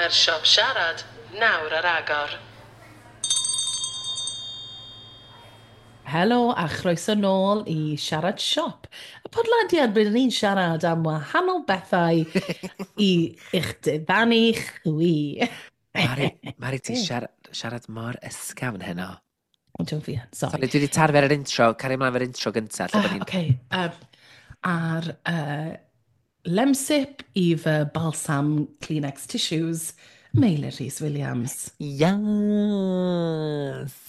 Mae'r siop siarad nawr ar agor. Helo a chroeso nôl i Siarad Siop, y podlediad rydyn ni'n siarad am wahanol bethau i eich diddanu chwi. Mari, Mari ti'n siarad mor ysgafn heno. Ond dwi'n fi, sorry. Sorry, dwi wedi tarfu ar yr intro, cario ymlaen efo'r intro gyntaf. Lle bod ni'n. Okay, ar Lemsip i fy balsam Kleenex tissues, Meilir Rhys Williams. Yes!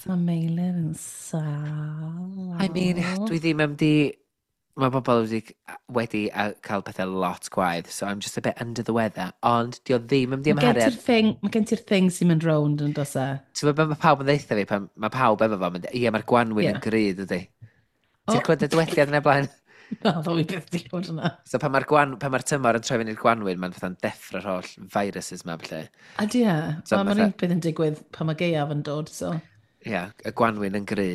Mae Meilir yn sâl. I mean, dwi ddim am di. Mae bobl wedi cael pethau lot gwaith, so I'm just a bit under the weather, ond di o ddim am di Mae gen amharu. ti'r thing, mae gen ti'r thing sy'n mynd rownd yn dos e. Ti'n gwybod be mae pawb yn ddeutha fi, pan mae pawb efo fo, mynd, ie, mae'r gwanwyn yn gry, dydy. Ti'n clywed y dywediad yna blaen? Na, ddo i byth di clywed hwnna. So pan mae'r tymor yn troi fyny i'r gwanwyn, mae'n fatha'n deffro'r holl viruses ma, felly. A di e, So mae'n fatha un peth yn digwydd pan mae gaeaf yn dod, so. Ie, yeah, y gwanwyn yn gry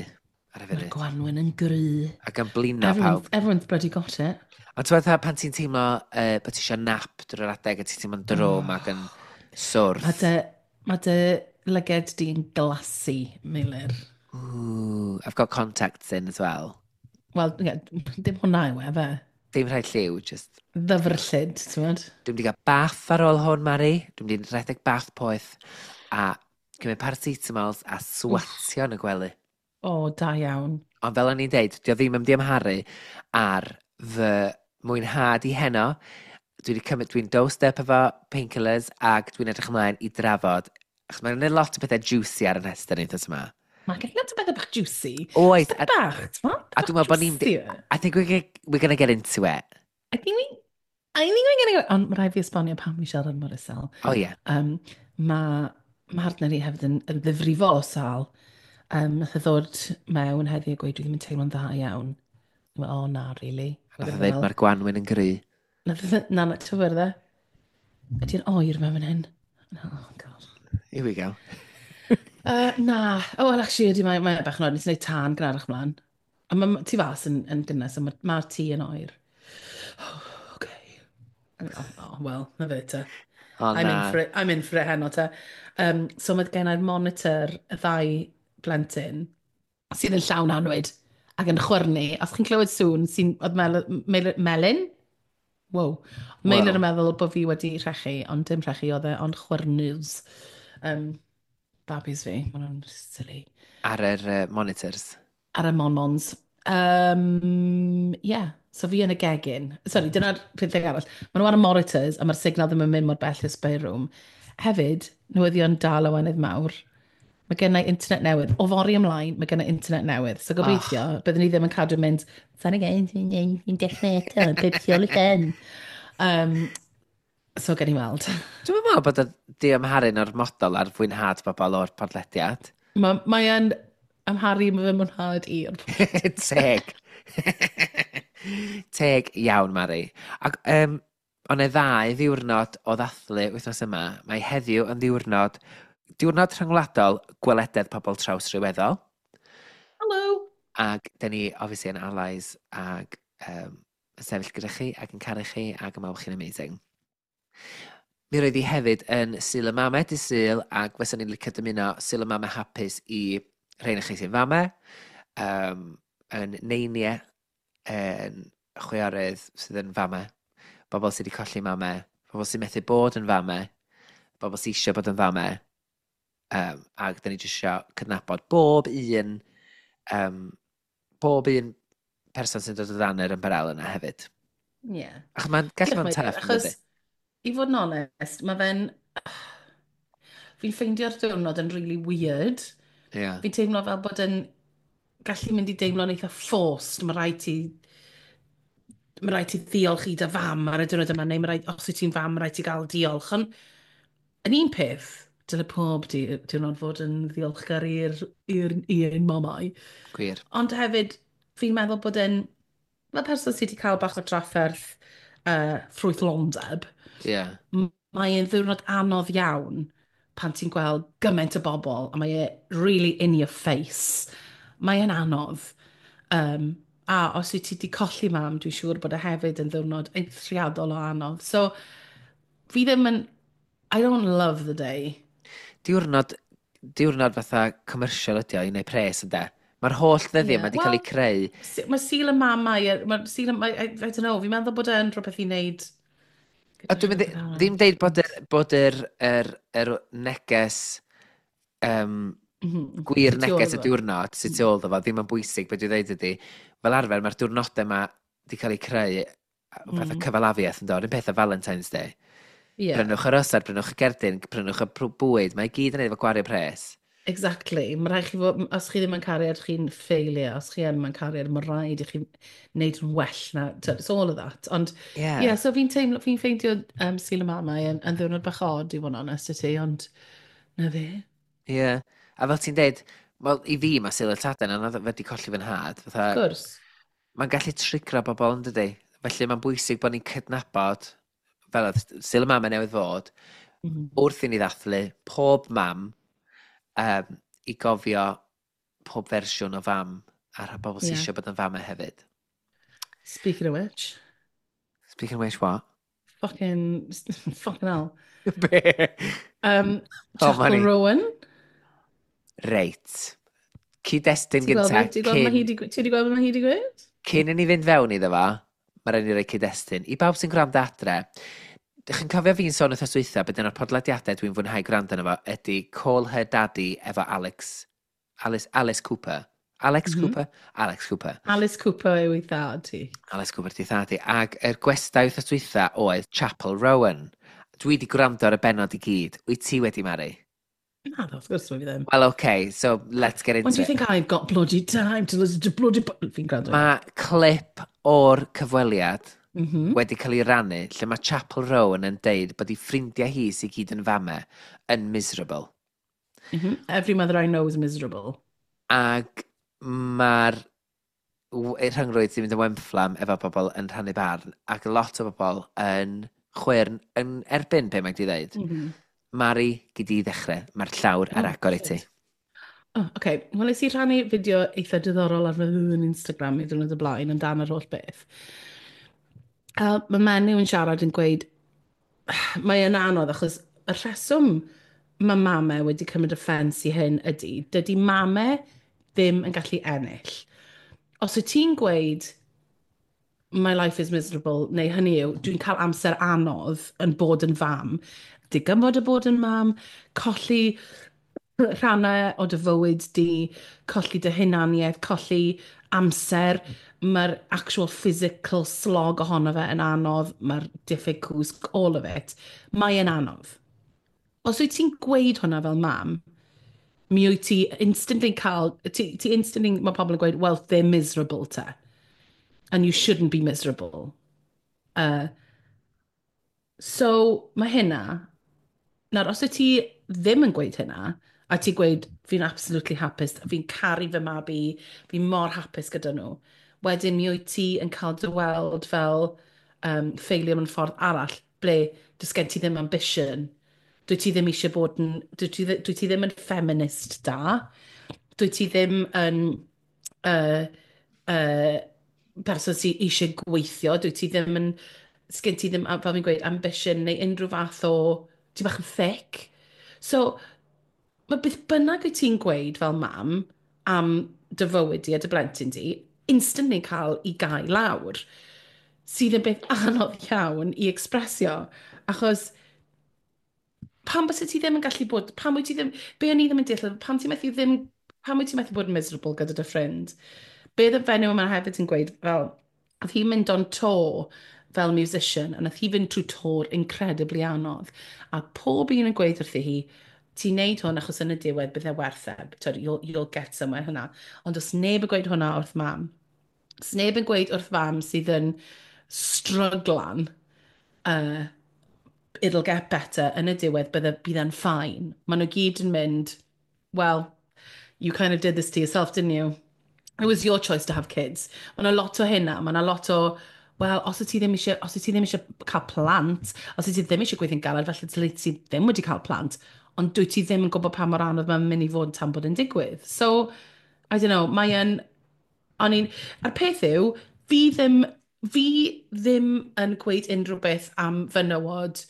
ar y Mae'r funud. gwanwyn yn gry. Ac yn blino Everyone's, pawb. everyone's bloody got it. Ond ti'n meddwl pan ti'n teimlo bod ti eisiau nap drwy'r adeg a ti'n teimlo'n drwm ac yn swrth. Mae dy lyged di'n glassy, Meilir. Ooh, I've got contacts in as well. Wel, ie, dim hwnna yw e, fe. Dim rhaid lliw, just. Ddyfrllyd, ti'n mynd? Dwi'n mynd i gael bath ar ôl hwn, Mari. Dwi'n mynd i rhedeg bath poeth a cymryd paracetamols a swatio yn y gwely. O, da iawn. Ond fel o'n i'n deud, dio ddim yn amharu ar fy mwynhad i heno. Dwi wedi cymryd, dwi'n dosed up efo painkillers ac dwi'n edrych ymlaen i drafod. Achos mae'n gwneud lot o bethau juicy ar y rhestr ni wythnos yma. Mae gen lot o bethau bach juicy. Oes, Beth bach, ti'n meddwl? a dwi'n meddwl bod ni'n I think we're gonna get into it. I think we're gonna go. Ond mae rhaid fi esbonio pam fi siarad mor isel. Oh yeah. Mae mhartner i hefyd yn ddifrifol o sâl. Nath e ddod mewn heddiw a gweud, "Dwi ddim yn teimlo'n dda iawn." O, oh, na, really. Nath o ddeud mae'r gwanwyn yn gry. Nath e, na, na, ti'n fawr dde? Ydy'n oer mewn fan hyn? Oh, God. Here we go. Na. Oh, well, actually, ydy, mae bach yn oer. Nes i wneud tân gynharach mlaen. A mae tu fas yn gynnes, a mae tŷ yn oer. Oh, okay. Oh, well, na fe te. O I'm in na. for it, I'm in for it heno te. So mae gen i'r monitor y ddau blentyn sydd yn llawn anwyd ac yn chwyrnu. Os chi'n clywed sŵn sy'n, oedd Melin? Wow. Meilir yn meddwl bod fi wedi rhechu, ond dim rhechu oedd e, ond chwyrnws. Babis fi, maen nhw'n silly. Ar yr monitors. Ar y monmons. Yeah, so fi yn y gegin. Sorry, dyna'r peth arall. Maen nhw ar y monitors a mae'r signal ddim yn mynd mor bell i'r spare room. Hefyd, newyddion da lawenydd mawr. Mae gen i internet newydd. O fory ymlaen, mae gen i internet newydd. So gobeithio, byddwn ni ddim yn cadw mynd, "Sa'n again, ni'n dechrau eto, beth ôl i ben." So gen i weld. Dwi'n meddwl bod o di amharu'n ormodol ar fwynhad bobl o'r podlediad. Mae yn amharu fy mwynhad i o'r Teg. Teg iawn, Mari. Ac ond e ddau ddiwrnod o ddathlu wythnos yma. Mae heddiw yn ddiwrnod rhyngwladol gwelededd pobl trawsryweddol. Hello! Ac dyn ni, obviously, yn allies ac yn sefyll gyda chi ac yn caru chi ac yn meddwl chi'n amazing. Mi roedd hi hefyd yn Sul y Mame dydd Sul ac fysa ni'n licio dymuno Sul y Mame hapus i rhain o chi sy'n fame, yn neiniau, yn chwiorydd sydd yn fame, bobl sydd wedi colli mame, bobl sy'n methu bod yn fame, bobl sydd eisiau bod yn fame, ac dyn ni jyst eisiau cydnabod bob un person sy'n dod o dan yr ymbarel yna hefyd. Achos mae'n gallu bod yn Diolch, tough, yn achos dydi? i fod yn onest, mae fe'n... Fi'n ffeindio'r diwrnod yn really weird. Fi'n teimlo fel bod yn gallu mynd i deimlo'n eitha forced. Mae rhaid ti ddiolch i dy fam ar y diwrnod yma, neu mae rhaid, os wyt ti'n fam, mae rhaid ti gael diolch. Ond yn un peth, dyle pob diwrnod fod yn ddiolchgar i'r mamau. Ond hefyd, fi'n meddwl bod yn, fel person sydd wedi cael bach o drafferth ffrwythlondeb, mae'n ddiwrnod anodd iawn pan ti'n gweld gymaint o bobl a mae e really in your face. Mae e'n anodd. A os wyt ti wedi colli mam, dwi'n siŵr bod e hefyd yn ddiwrnod eithriadol o anodd. So, fi ddim yn I don't love the day. Diwrnod fatha commercial ydi o i wneud pres, ynde? Mae'r holl ddyddiau Yeah, yma wedi cael well, eu creu. Mae Sul y Mamau, mae Sul y... I don't know, fi'n meddwl bod e'n rhywbeth i wneud A gyda dwi'n mynd rhywbeth arall. Ddim deud bod yr neges, gwir Sy'n tu ôl neges y iddo fo. diwrnod sydd tu ôl iddo fo ddim yn bwysig. Beth dwi'n dweud ydy, fel arfer mae'r diwrnodau yma wedi cael eu creu fatha cyfalafiaeth, yn dod, un peth â Valentine's Day. Prynwch yr osad, prynwch y gerdyn, prynwch y bwyd, mae i gyd yn ei efo gwario pres. Exactly. Mae rhaid chi fod, os chi ddim yn cariad, chi'n failure. Os chi yn mewn cariad, mae rhaid i chi wneud yn well na. It's all of that. Ond, yeah, so fi'n teimlo, fi'n ffeindio Sul y Mamau yn ddiwrnod bach odd, i fod yn onest i ti, ond na fe. Ie. Yeah. A fel ti'n deud, wel, i fi mae Sul y Tadau yn anodd wedi colli fy nhad. Of Fatha, course. mae'n gallu trigro bobl, yn dydi? Felly mae'n bwysig bod ni'n cydnabod, fel oedd Sul y Mamau newydd fod, wrth i ni ddathlu pob mam i gofio pob fersiwn o fam a'r bobl sydd eisiau bod yn famau hefyd. Speaking of which, Speaking of which, what? Fucking, fucking hell. Be? Oh, Chappell Mari. Rowan. Reit. Cyd-destun Ti'n gweld gynta, beth- ti'n gweld ma' hi cyn, 'di- ti wedi gweld beth mae hi wedi gweud? Cyn i ni fynd fewn iddo fo, mae rhaid ni roi cyd-destun. I bawb sy'n gwrando adre, dych chi'n cofio fi'n sôn wythnos dwytha beth un o'r podlediadau dwi'n fwynhau gwrando arno fo ydy Call Her Daddy efo Alex, Alice, Alice Cooper. Alex Cooper? Alex Cooper. Alice Cooper yw ei thad ti. Alice Cooper di thad i. Ac yr gwestai wythnos dwytha oedd Chappell Rowan. Dwi wedi gwrando ar y benod i gyd. Wyt ti wedi, Mari? Na, wrth gwrs mae fi ddim. Well, okay, so let's get When into do you it. think I've got bloody time to listen to bloody... Fi'n gwrando. Mae clip o'r cyfweliad wedi cael ei rannu lle mae Chappell Rowan yn deud bod ei ffrindiau hi sydd gyd yn famau yn miserable. Every mother I know is miserable. Ac mae'r rhyngrwyd sy'n mynd yn wenfflam efo bobl yn rhannu barn ac lot o bobl yn chwyrn yn erbyn be mae di ddeud. Mari, gyd i ddechrau. Mae'r llawr ar Oh, agor i ti. shit. Oh, okay. Wel, nes i rhannu fideo eitha diddorol ar fy Instagram i ddwrnod y blaen amdan yr holl beth. A mae menyw yn siarad yn gweud, mae yn anodd achos y rheswm mae mamau wedi cymryd offence i hyn ydy, dydy mamau ddim yn gallu ennill. Os wyt ti'n gweud, "My life is miserable," neu hynny yw, dwi'n cael amser anodd yn bod yn fam, digymod y bod yn mam, colli rhannau o dy fywyd di, colli dy hunaniaeth, colli amser, mae'r actual physical slog ohono fe yn anodd, mae'r diffyg cwsg, all of it, mae yn anodd. Os wyt ti'n gweud hwnna fel mam, mi wyt ti instantly cael, ti instantly, mae pobl yn gweud, "Well, they're miserable te. And you shouldn't be miserable." So, mae hynna, nawr, os wyt ti ddim yn gweud hynna, a ti'n gweud, "Fi'n absolutely hapus, fi'n caru fy mabi, fi'n mor hapus gyda nhw," wedyn mi wyt ti yn cael dy weld fel failure mewn ffordd arall, ble does gen ti ddim ambition, dwyt ti ddim eisiau bod yn, dwyt ti ddim yn feminist da, dwyt ti ddim yn person sydd eisiau gweithio, dwyt ti ddim yn, sgen ti ddim, fel fi'n gweud, ambition neu unrhyw fath o, ti bach yn thick. So, mae beth bynnag wyt ti'n gweud fel mam am dy fywyd di a dy blentyn di, instantly cael ei gau lawr, sydd yn beth anodd iawn i expresio, achos pam byse ti ddim yn gallu bod, pam wyt ti ddim, be o'n i ddim yn deall, pam ti'n methu ddim, pam wyt ti'n methu bod yn miserable gyda dy ffrind? Be oedd y fenyw yma hefyd yn gweud, fel, oedd hi'n mynd on tour fel musician, a nath hi fynd trwy tour incredibly anodd. A pob un yn gweud wrthi hi, "Ti'n neud hwn achos yn y diwedd bydd e werth e, twyd, you'll get somewhere hwnna." Ond os neb yn gweud hwnna wrth mam, os neb yn gweud wrth fam sydd yn stryglan, "It'll get better, yn y diwedd bydd e'n fine." Maen nhw gyd yn mynd, "Well, you kind of did this to yourself, didn't you? It was your choice to have kids." Mae yna lot o hynna, mae yna lot o, well, os wyt ti ddim eisiau cael plant, os wyt ti ddim eisiau gweithio'n galed, felly dyle ti ddim wedi cael plant, ond dwyt ti ddim yn gwybod pa mor anodd mae'n mynd i fod tan bod yn digwydd. So, I don't know, mae yn, o'n i'n, a'r peth yw, fi ddim yn gweud unrhyw beth am fenywod.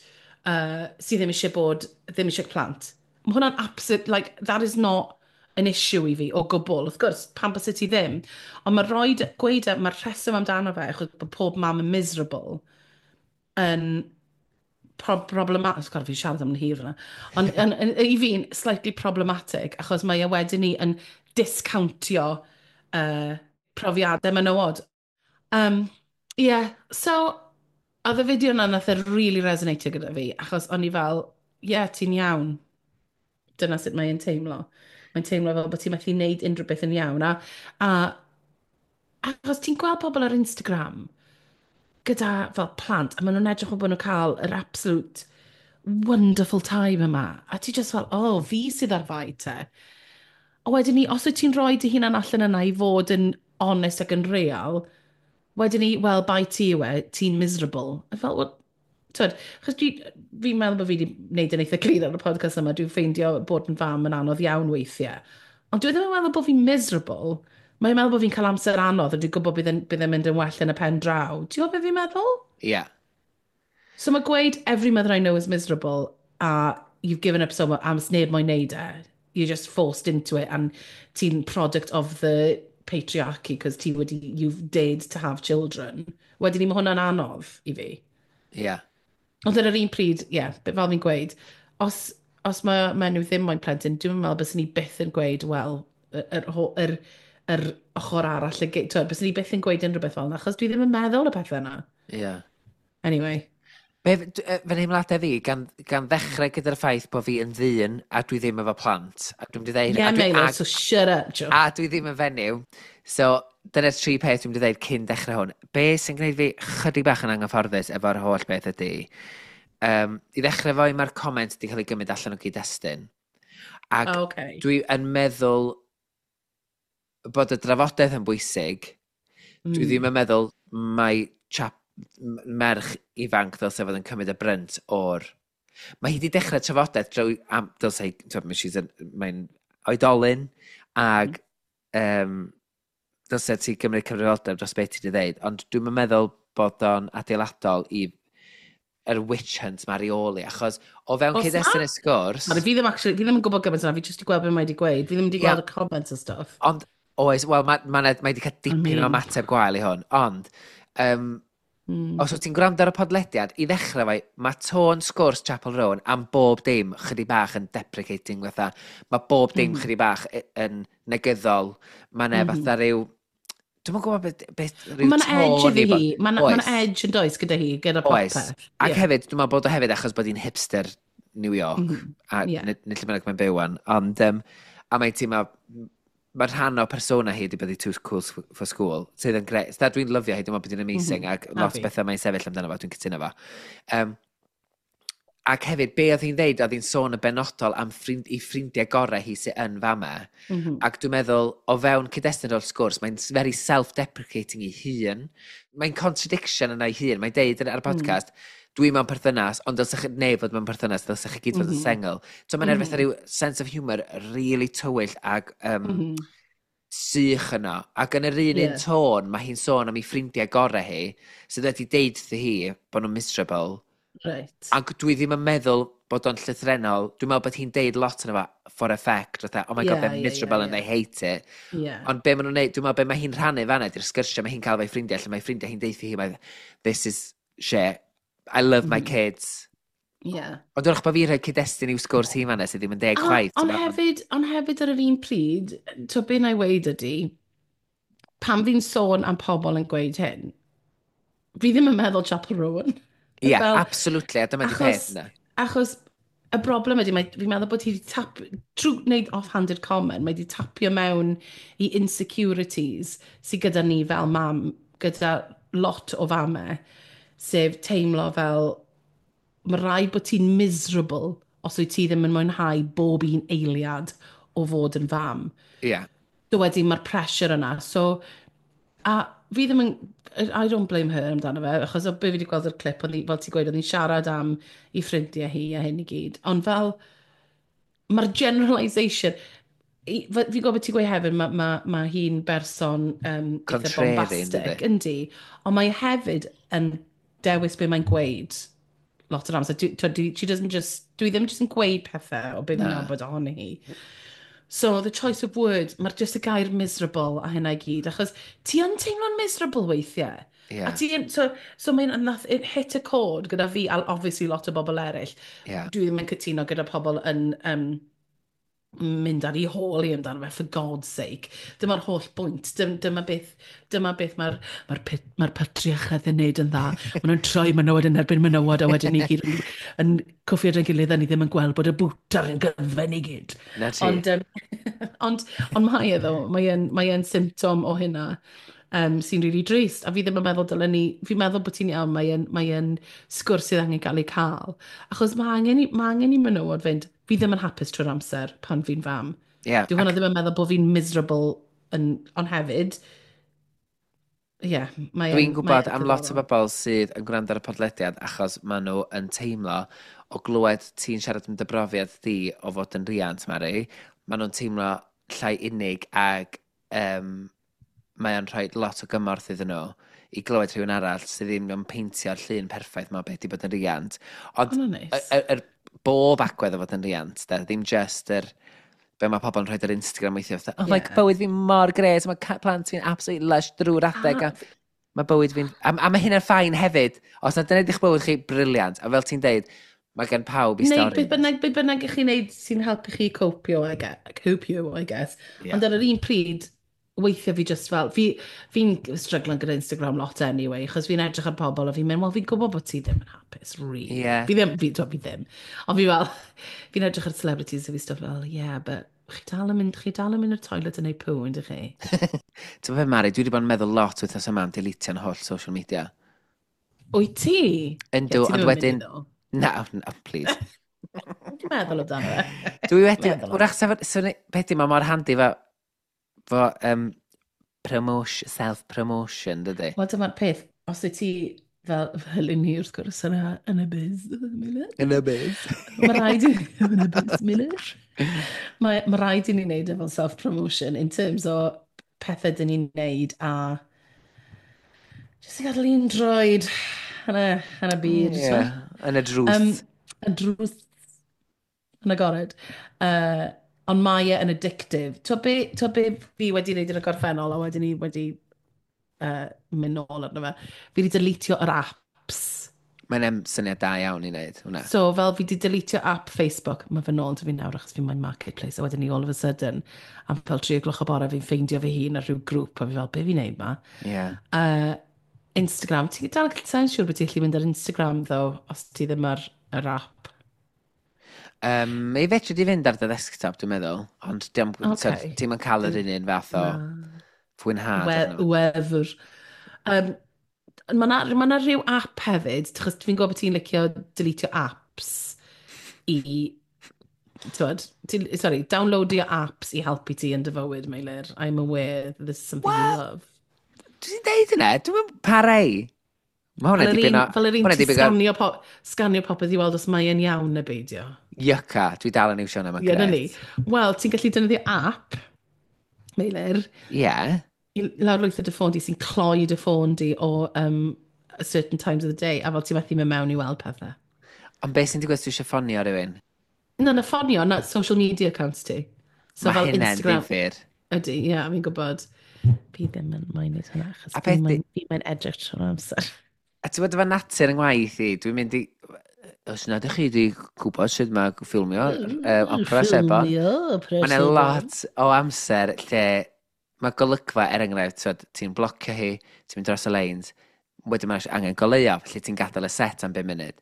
sydd ddim eisiau bod, ddim eisiau plant. Mae hwnna'n absolute, like, that is not an issue i fi o gwbl. Wrth gwrs, pam byse ti ddim? Ond mae roed, gweud, mae'r rheswm amdano fe, achos bod pob mam yn miserable, yn problematic. Sgwr, fi'n siarad am yn hir yna. Ond i fi'n slightly problematic, achos mae e wedyn ni yn discountio profiadau menywod. Yeah, so, oedd y fideo yna nath e really resonatio gyda fi, achos o'n i fel, yeah, ti'n iawn. Dyna sut mae'n teimlo. Mae'n teimlo fel bod ti'n methu wneud unrhyw beth yn iawn. A achos ti'n gweld pobl ar Instagram gyda fel plant, a maen nhw'n edrych fel bod nhw'n cael yr absolute wonderful time yma. A ti just fel, oh, fi sydd ar fai te. A wedyn ni, os wyt ti'n rhoi dy hunan allan yna i fod yn honest ac yn real, wedyn ni, well, bai ti yw e, ti'n miserable. A fel, well, twyd, achos fi'n meddwl bod fi wedi gwneud yn eitha clir ar y podcast yma, dwi'n ffeindio bod yn fam yn anodd iawn weithiau. Ond dwi ddim yn meddwl bod fi'n miserable. Mae'n meddwl bod fi'n cael amser anodd a dwi'n gwybod bydd yn mynd yn well yn y pen draw. Ti'n gwybod beth fi'n meddwl? Ie. Yeah. So mae gweud "every mother I know is miserable" a "you've given up so much" am sneb moyn neud e. You're just forced into it and ti'n product of the patriarchy because ti wedi, you've dared to have children. Wedyn ni, mae hwnna'n anodd i fi. Ie. Yeah. Ond ar yr un pryd, ie, yeah, fel fi'n gweud, os mae menyw ddim moyn plentyn, dwi'n meddwl bys ni byth yn gweud, wel, yr ochr arall, bys ni byth yn gweud unrhyw beth fel yna, achos dwi ddim yn meddwl y pethau yna. Ie. Yeah. Anyway. Be, fy nheimladau fi, gan ddechrau gyda'r ffaith bod fi yn ddyn a dwi ddim efo plant. A dwi'n mynd i ddeud. Yeah, Meilir, so shut up, Joe. A dwi ddim yn fenyw. So, dyna'r tri peth dwi'n mynd i ddeud cyn dechrau hwn. Be sy'n gwneud fi chydig bach yn anghyfforddus efo'r holl beth ydy, i ddechrau fo, mae'r comment wedi cael ei gymryd allan o gyd-destun. Ac oh, okay. dwi yn meddwl bod y drafodaeth yn bwysig. Dwi ddim yn meddwl mai chap, merch ifanc ddylse fod yn cymryd y brynt o'r. Mae hi wedi dechrau trafodaeth drwy... Am, dylse hi... Twyd, mae'n oedolyn ag dylse ti gymryd cyfrifoldeb dros beth ti wedi dweud, ond dwi'n meddwl bod o'n adeiladol i yr witch hunt mae ar ei ôl hi, achos o fewn cyd-destun y sgwrs. Fi ddim, actually, fi ddim yn gwybod gymaint yna, fi jyst wedi gweld beth mae wedi gweud. Fi ddim wedi gweld y comments a stuff. Ond, oes, wel, mae wedi cael dipyn o ymateb gwael i hwn, ond, os wyt ti'n gwrando ar y podlediad, i ddechrau fai, mae tôn sgwrs Chappell Roan am bob dim chydig bach yn deprecating fatha. Mae bob dim chydig bach yn negyddol. Mae ne fatha rhyw. Dwi'm yn gwybod beth rhyw Mae'n edge iddi hi. Mae'n ma edge yn does gyda hi, gyda popeth. Ac hefyd, dwi'n meddwl bod o hefyd achos bod hi'n hipster New York. A nid lle bynnag mae'n byw wan. Ond, a mae'n teimlo, mae rhan o persona hi wedi bod i too cool for school, sydd yn grêt. Dwi'n lyfio hi, dwi'n meddwl bod hi'n amazing, ac lot o bethau mae'n sefyll amdano fo, dwi'n cytuno fo. Ac hefyd, be oedd hi'n dweud, oedd hi'n sôn yn benodol am i ffrindiau gorau hi sydd yn fama. Ac dwi'n meddwl, o fewn cyd-destun o'r sgwrs, mae'n very self-deprecating i hun. Mae'n contradiction yna i hun. Mae'n deud ar y podcast, "Dwi mewn perthynas, ond dylsech chi neb fod mewn perthynas, dylsech chi gyd fod yn sengl." So mae'n mm -hmm. rhyw sense of humour really tywyll ag sych yno. Ac yn yr un un tôn, mae hi'n sôn am ei ffrindiau gorau hi, sydd wedi deud wrthi hi bod nhw'n miserable. Ac dwi ddim yn meddwl bod o'n llythrenol. Dwi'n meddwl bod hi'n deud lot yna fo for effect. Fatha, "Oh my God, they're miserable and they hate it." Ond be maen nhw'n neud, dwi'n meddwl be mae hi'n rhannu fanna, di'r sgyrsiau mae hi'n cael efo'i ffrindiau, lle mae ffrindiau hi'n deutha hi, mae, "This is shit. I love my kids." Ond dwi'n bod fi rhoi cyd-destun i'w sgwrs hi fanna sydd ddim yn deg chwaith. Ond hefyd ar yr un pryd, to be na i weud ydy, pan fi'n sôn am pobl yn gweud hyn, fi ddim yn meddwl Chappell Roan. Ie, yeah, absolutely, a dyma di peth yna. Achos y broblem ydy, fi'n meddwl bod hi wedi tap, trwy wneud offhanded comment, mae wedi tapio mewn i insecurities sydd gyda ni fel mam, gyda lot o famau, sef teimlo fel mae rhaid bod ti'n miserable os wyt ti ddim yn mwynhau bob un eiliad o fod yn fam. Ie. Yeah. So wedyn mae'r pressure yna. So, a fi ddim yn... I don't blame her amdano fe, achos o be fi wedi gweld o'r clip, oedd fel ti'n gweud, oedd hi'n siarad am ei ffrindiau hi a hyn i gyd. Ond fel, mae'r generalisation. Fi'n gwybod beth ti'n gweud hefyd, ma hi'n berson eitha contrary, bombastic, yndi? Yndi. Ond mae hefyd yn dewis be mae'n gweud. lot o'r amser. Dwi, dwi, she doesn't just, dwi ddim just yn gweud pethau o beth fi'n nabod ohoni hi. So, the choice of words, mae'r just y gair miserable a hynna i gyd, achos ti yn teimlo'n miserable weithiau. Yeah. A ti yn, so mae'n, nath, it hit a chord gyda fi, a obviously lot o bobl eraill. Yeah. Dwi ddim yn cytuno gyda pobl yn mynd ar ei hôl i amdano fe, for God's sake. Dyma'r holl bwynt. Dyma beth, dyma beth mae'r ma patriarchad yn neud yn dda. Maen nhw'n troi menywod yn erbyn menywod a wedyn ni gyd yn cwffio yn gilydd a ni ddim yn gweld bod y bwtar yn gyfen i gyd. Na ti. Ond mae e ddo, mae e'n symptom o hynna sy'n really drist. A fi ddim yn meddwl dylen ni, fi'n meddwl bod ti'n iawn, mae e'n sgwrs sydd angen cael ei cael. Achos mae angen i menywod fynd, fi ddim yn hapus trwy'r amser pan fi'n fam. Dwi hwnna ddim yn meddwl bod fi'n miserable yn, ond hefyd, ie, yeah, mae Dwi'n gwybod am lot o bobl sydd yn gwrando ar y podlediad achos maen nhw yn teimlo o glywed ti'n siarad am dy brofiad di o fod yn riant, Mari, maen nhw'n teimlo llai unig ag mae o'n rhoi lot o gymorth iddyn nhw i glywed rhywun arall sydd ddim yn peintio'r llun perffaith ma o beth i bod yn riant. Ond nice. y bob agwedd o fod yn riant, de, ddim just yr be mae pobl yn rhoi ar Instagram weithio, fatha, "Oh, mae bywyd fi mor gret, mae plant fi'n absolutely lush drwy'r adeg," a mae bywyd fi'n... A mae hynna'n fine hefyd. Os na dyna ydych bywyd chi, brilliant. A fel ti'n deud, mae gen pawb i Neu stori. Beth bynnag i chi'n neud sy'n helpu chi copio, I guess. Copio, I guess. Yeah. Ond ar yr un pryd, weithiau fi just fel, fi'n struggling gyda Instagram lot anyway, achos fi'n edrych ar pobl a fi'n mynd, "Wel, fi'n gwybod bod ti ddim yn hapus, really." Yeah. Fi ddim, fi ddim. Ond fi fel, fi'n edrych ar celebrities a fi stuff fel, "Yeah, but chi dal yn mynd i'r toilet yn neud poo, yndych chi?" Ti'n gwybod, Mari, dwi wedi bod yn meddwl lot wythnos yma am deletio'n holl social media. Wyt ti? Yndw, Ie, ti ond ddim yn mynd wedyn i ddo. Na, na, please. Ti'n meddwl amdano fe? Dwi wedi Meddwl am. Wrach, sef, so, beth di, mae mor handi fo promotion, self-promotion, dydy? Wel, dyma'r peth, os wyt ti fel i ni wrth gwrs yn y biz, Meilir. Yn y biz. Mae rhaid i yn y biz, Meilir. Mae rhaid i ni wneud efo self-promotion in terms o pethau dyn ni'n wneud a jyst i gadael un droed yn y byd. Ie, yn y drws. Y drws yn agored. Ond mae e yn addictive. Ti'n be, t'wo be fi wedi wneud yn y gorffennol a wedyn ni wedi mynd nôl arno fe? Fi wedi deletio yr apps. Mae'n syniad da iawn i wneud hwnna. So fel fi wedi deletio app Facebook, mae fe nôl 'da fi nawr achos fi'n moyn Marketplace, a wedyn ni all of a sudden, am fel 3 o'r gloch o bore fi'n ffeindio fy hun ar rhyw grŵp, a fi fel, "Be fi'n neud ma?" Ie. Instagram, ti'n dal sa'n siŵr bod ti'n gallu mynd ar Instagram, though, os ti ddim ar yr app. Mi fedri di fynd ar dy desktop, dwi'n meddwl. Ond diom, Ocê. ti'n yn cael yr un fath o Na. fwynhad arno fo. Wefr. Mae na, ma na rhyw app hefyd, achos fi'n gwybod bod ti'n licio deletio apps i, t'wod, sorry, downloadio apps i helpu ti yn dy fywyd, Meilir. I'm aware that this is something you Wel, love. Dwi'n deud yna, dwi'n mynd parei. Mae hwnna Fel yr dipyn un, o fel yr un hwnna ti'n dipyn o sganio popeth i weld os mae e'n iawn neu beidio. Yucca, dwi dal yn iwsio hwnna, mae'n Ie, na ni. gret. Wel, ti'n gallu defnyddio app, Meilir, i lawrlwytho dy ffôn di sy'n cloi dy ffôn di o certain times of the day, a fel ti'n methu mynd mewn i weld pethau. Ond beth sy'n digwydd os dwi eisiau ffonio rhywun? Na, ffonio, na social media accounts ti. So Mae fel hynna'n Instagram. ddifyr. Ydy, ie, yeah, fi'n gwybod. Fi ddim yn moyn neud hwnna, achos A fi beth mae'n edrych trwy'r amser. A ti'n gwybod efo natur yng ngwaith i, dwi'n mynd i... Os nad ydych chi wedi gwybod sut mae ffilmio opera sebon, Ffilmio opera mae yna sebon. lot o amser lle mae golygfa, er enghraifft, t'wod, ti'n blocio hi, ti'n mynd dros y lines, wedyn mae angen goleuo, felly ti'n gadael y set am 5 munud.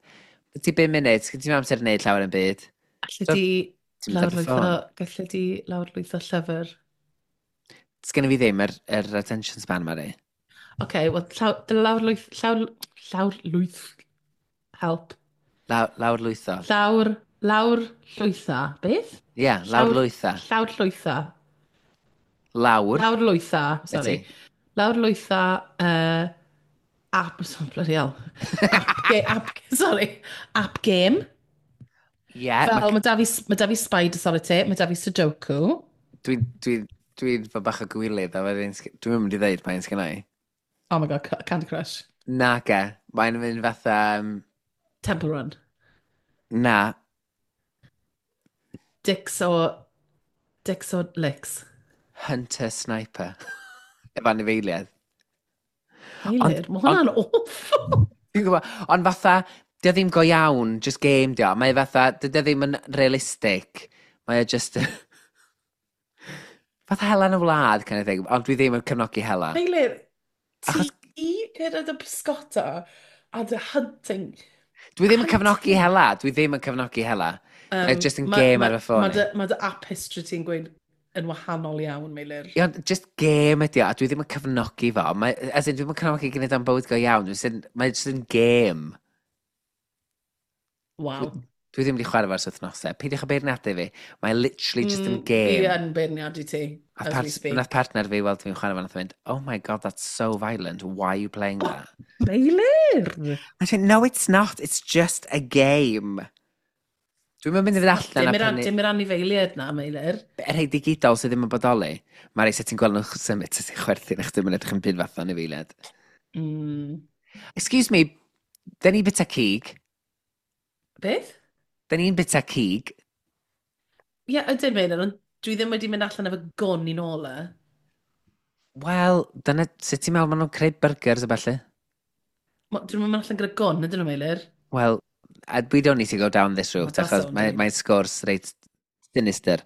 Ti 5 munud, sgyn ti'n amser i wneud llawer yn byd. Allet So, ti ti'n mynd ar dy lawrlwytho, ffôn. gallet ti lawrlwytho llyfr? Sgen i fi ddim yr attention span, Mari. Oce, okay, wel, lawrlwyth, llawrlwyth, help. Lawrlwytho. Lawr llwytha, beth? Ie, yeah, lawrlwytha. Llawr llwytha. Lawr. Lawr lwytha, sorry. Ydi. Lawr lwytha, app, so, bloody hell. App, sorry, app game. Ie, yeah, Fel, mae da fi Spider Solitaire, mae da fi Sudoku. dwi'n dwi, dwi fod bach o gwilydd, a wedyn dwi'n mynd i ddeud pa un sgynna i. Oh my God, Candy Crush. Naga, mae'n mynd fatha... Temple Run. Na. Dicks o... Dicks o Licks. Hunter Sniper. Efo anifeiliaid. Eilir, mae hwnna'n awful. Dwi'n gwybod, ond fatha, dio ddim go iawn, just game dio. Mae fatha, dydy o ddim yn realistic. Mae o just... Fatha hela yn y wlad, kind of thing, ond dwi ddim yn cefnogi hela. Eilir, ti gyda dy pysgota a dy hunting. Dwi ddim yn cefnogi hela, dwi ddim yn cefnogi hela. Mae just yn game ar fy ffôn. Mae dy app history ti'n gweud yn wahanol iawn, Meilir. Ie, ond just game ydi o, a dwi ddim yn cefnogi fo. Mae, as in, dwi ddim yn cefnogi gwneud am bywyd go iawn. Mae just yn game. Waw. Dwi ddim wedi chwarae fo ers wythnosau. Peidiwch â beirniadu fi. Mae literally just yn game. Fi yn beirniadu ti, A as we speak. Nath partner fi weld fi'n chwarae fo, nath o fynd, "Oh my God, that's so violent. Why are you playing that?" Meilir! I said, "No, it's not. It's just a game." Dwi'n mynd i fynd allan a prynu. Dim yr anifeiliaid na, Meilir. Y rhai digidol sydd ddim yn bodoli. Mae'r rhai sydd ti'n gweld nhw'n symud, sydd ti'n chwerthin, eich ddim yn edrych yn byd fath anifeiliaid. Excuse me, dyn ni'n bita cig. Beth? Dyn ni'n bita cig. Ie, yeah, ydyn Meilir, ond dwi ddim wedi mynd allan efo gwn i nôl e. Wel, dyna sut ti'n meddwl maen nhw'n creu burgers a ballu? Dyn nhw'n mynd allan gyda gwn, ydyn nhw, Meilir? Wel, we don't need to go down this route, achos mae'n mae sgwrs reit sinister.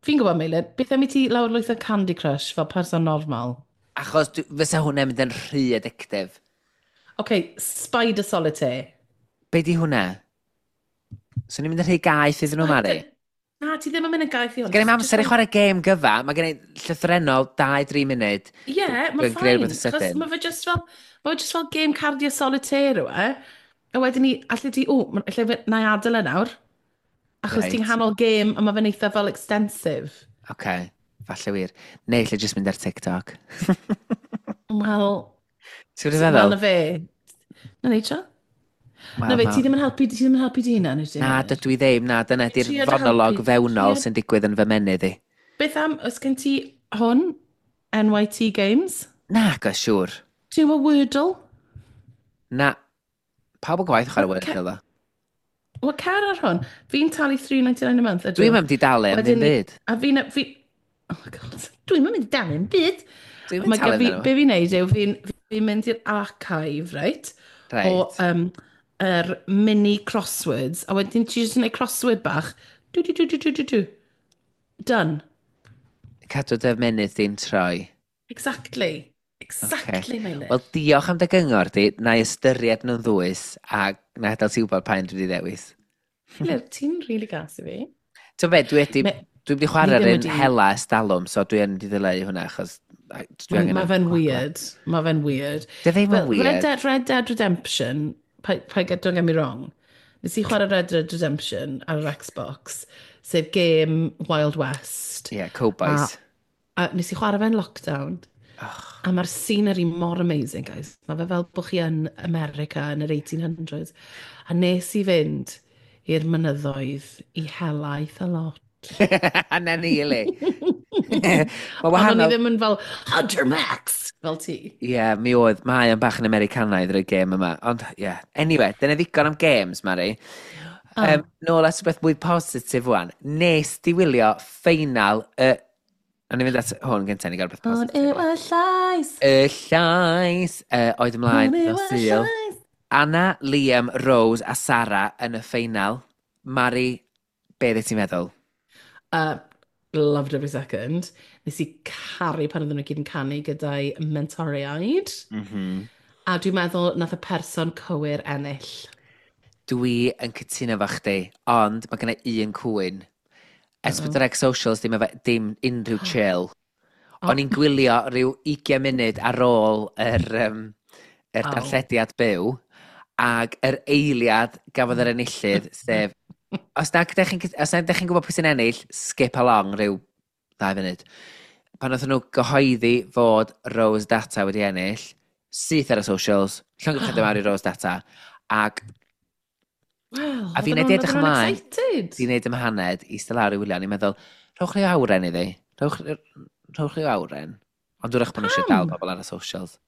Fi'n gwybod, Meilir, beth am i ti lawrlwytho Candy Crush fel person normal? Achos fysa hwnna'n mynd yn rhy addictive. OK, Spider Solitaire. Be di hwnna? So ni'n mynd yn rhy gaeth iddyn nhw, Mari? Na, ti ddim yn mynd yn gaeth i hwn. Gen i'm amser i chwarae gêm gyfa, mae gen i llythrennol 2-3 munud. Ie, yeah, mae'n fine. Achos mae fe just fel, mae fe just fel game cardio solitaire yw e. A wedyn ni, allai ti, o, allai na i adael e nawr. Achos ti'n hanol gêm a mae fe'n eitha fel extensive. Oce, okay, falle wir. Neu allai just mynd ar TikTok. Wel... Ti'n gwybod feddwl? Wel, na fe. Na ni, tro? Na fe, ti ddim yn helpu, ti ddim yn helpu di hunan, wyt ti? Na, dydw i ddim, na, dyna di'r fonolog fewnol sy'n digwydd yn fy menydd i. Beth am, oes gen ti hwn, NYT Games? Na, go siŵr. Ti'n gwybod Wordle? Na, pawb yn gwaith chwarae Wordle, ddo. Wel, cer ar hwn. Fi'n talu £3.99 a month, ydw. Dwi'n mynd i dalu am ddim byd. A fi'n... Oh my God, dwi'n mynd i dalu am byd. Dwi'n mynd talu amdano. Be fi'n neud yw, fi'n mynd i'r archive, right? Right. O yr mini crosswords, a wedyn ti jyst yn gwneud crossword bach. Du, du, du, du, du, du, du. Done. Cadw dy mynydd di'n troi. Exactly. Exactly, okay. Meilir. Wel, diolch am dy gyngor di. Na i ystyried nhw'n ddwys a na i adael ti wybod pa un dwi wedi ddewis. Meilir, ti'n really gas i fi. Ti'n be, dwi wedi chwarae'r un hela estalwm, so dwi yn wedi ddileu hwnna, achos dwi angen... Mae fe'n weird. Mae fe'n weird. Di ddim yn weird. Red Dead Redemption, don't get me wrong, nes i chwarae Red Dead Redemption ar yr Xbox, sef game Wild West. Yeah, Cowboys. A nes i chwarae fe'n lockdown. Oh. A mae'r scenery mor amazing, guys. Mae fe fel bod chi yn America yn yr 1800s. A nes i fynd i'r mynyddoedd i hela eitha lot. A na ni, ili. Ond o'n i ddim yn fel, Hunter Max, fel ti. Ie, yeah, mi oedd. Mae o'n bach yn Americanaidd rwy'r gêm yma. Ond, ie. Yeah. Anyway, dyna ddigon am games, Mari. Oh. Nôl at rhywbeth mwy positif wan. Nes di wylio ffeinal y... O'n i'n mynd at hwn gyntaf, ni gael rhywbeth positif. Hwn yw y llais. Y llais. Oedd ymlaen nos Sul. Anna, Liam, Rose a Sara yn y ffeinal. Mari, be ddeth ti'n meddwl? Loved every second. Nes i caru pan oedden nhw gyd yn canu gyda'i mentoriaid. Mm -hmm. A dwi'n meddwl nath y person cywir ennill. Dwi yn cytuno fo chdi, ond mae gen i un cwyn. S4C Socials ddim, dim unrhyw chill. O'n i'n gwylio rhyw 20 munud ar ôl yr darllediad byw, ac yr eiliad gafodd yr enillydd, sef, os na ydych chi'n gwybod pwy sy'n ennill, skip along rhyw 2 munud. Pan oedden nhw gyhoeddi fod Rose Data wedi ennill, syth ar y socials, llongyfarchiadau mawr i Rose Data, ac well, a fi'n edrych ymlaen, fi'n neud ymhaned i eistedd lawr i wylio, ni'n meddwl, rhowch rhyw awren iddi, rhowch rhyw awren. Ond wrach bod nhw eisiau dal pobl ar y socials.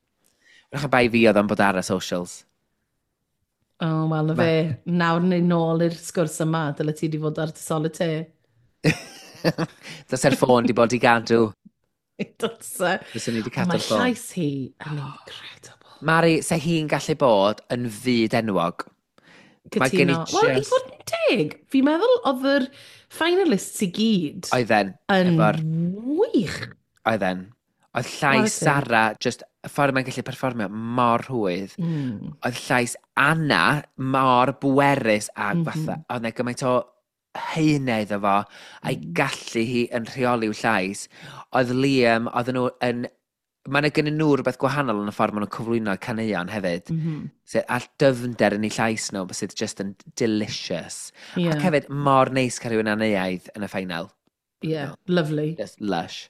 Wrach y bai fi oedd o'n bod ar y socials. Oh, wel, na fe. Nawr ni nôl i'r sgwrs yma, dyle ti di fod ar dy solitaire. Does ffôn di bod i gadw. Dylse. Fyswn ni wedi cadw'r ffôn. Mae llais hi yn incredible. Mari, se hi'n gallu bod yn fyd enwog. Cytuno. Wel, i fod yn teg, fi'n meddwl oedd yr finalists i gyd Oedden. Yn wych. Oedden. Oedd llais Sara, just y ffordd mae'n gallu perfformio mor rhwydd. Oedd llais Anna mor bwerus a fatha, oedd 'na gymaint o haenau iddo fo, a'i gallu hi yn rheoli'w llais. Oedd Liam, oedden nhw yn... Mae yna gennyn nhw rhywbeth gwahanol yn y ffordd maen nhw'n cyflwyno caneuon hefyd. So, a dyfnder yn eu llais nhw, sydd just yn delicious. Ac hefyd, mor neis cael rhywun anneuaidd yn y final. Yeah, lovely. Just lush.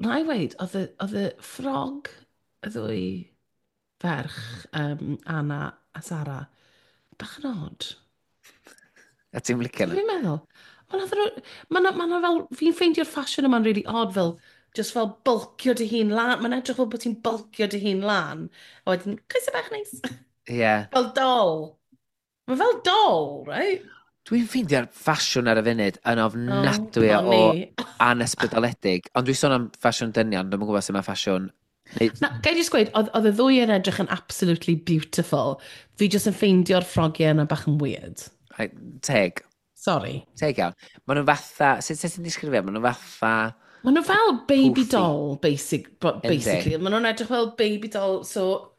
Na i weid, oedd y ffrog y ddwy ferch, Anna a Sara, bach yn odd. A ti'n licio nhw? Fi'n meddwl. Mae fel, fi'n ffeindio'r ffasiwn yma'n really odd, fel, just fel bulkio dy hun lan. Mae'n edrych fel bod ti'n bulkio dy hun lan. A wedyn, coesau bach neis. Fel doll. Mae fel doll, right? Dwi'n ffeindio'r ffasiwn ar y funud yn ofnadwy o anysbrydoledig. Ond dwi'n sôn am ffasiwn dynion, dwi'n gwybod sut mae ffasiwn. Neu. Na, gai jyst gweud, oedd y ddwy yn edrych yn absolutely beautiful. Fi jyst yn ffeindio'r ffrogiau yna bach yn weird. Teg. Sorry. Teg iawn. Maen nhw'n fatha, sut ti'n disgrifio? Maen nhw'n fatha. Maen nhw fel baby poofy doll, basically. Maen nhw'n edrych fel baby doll, so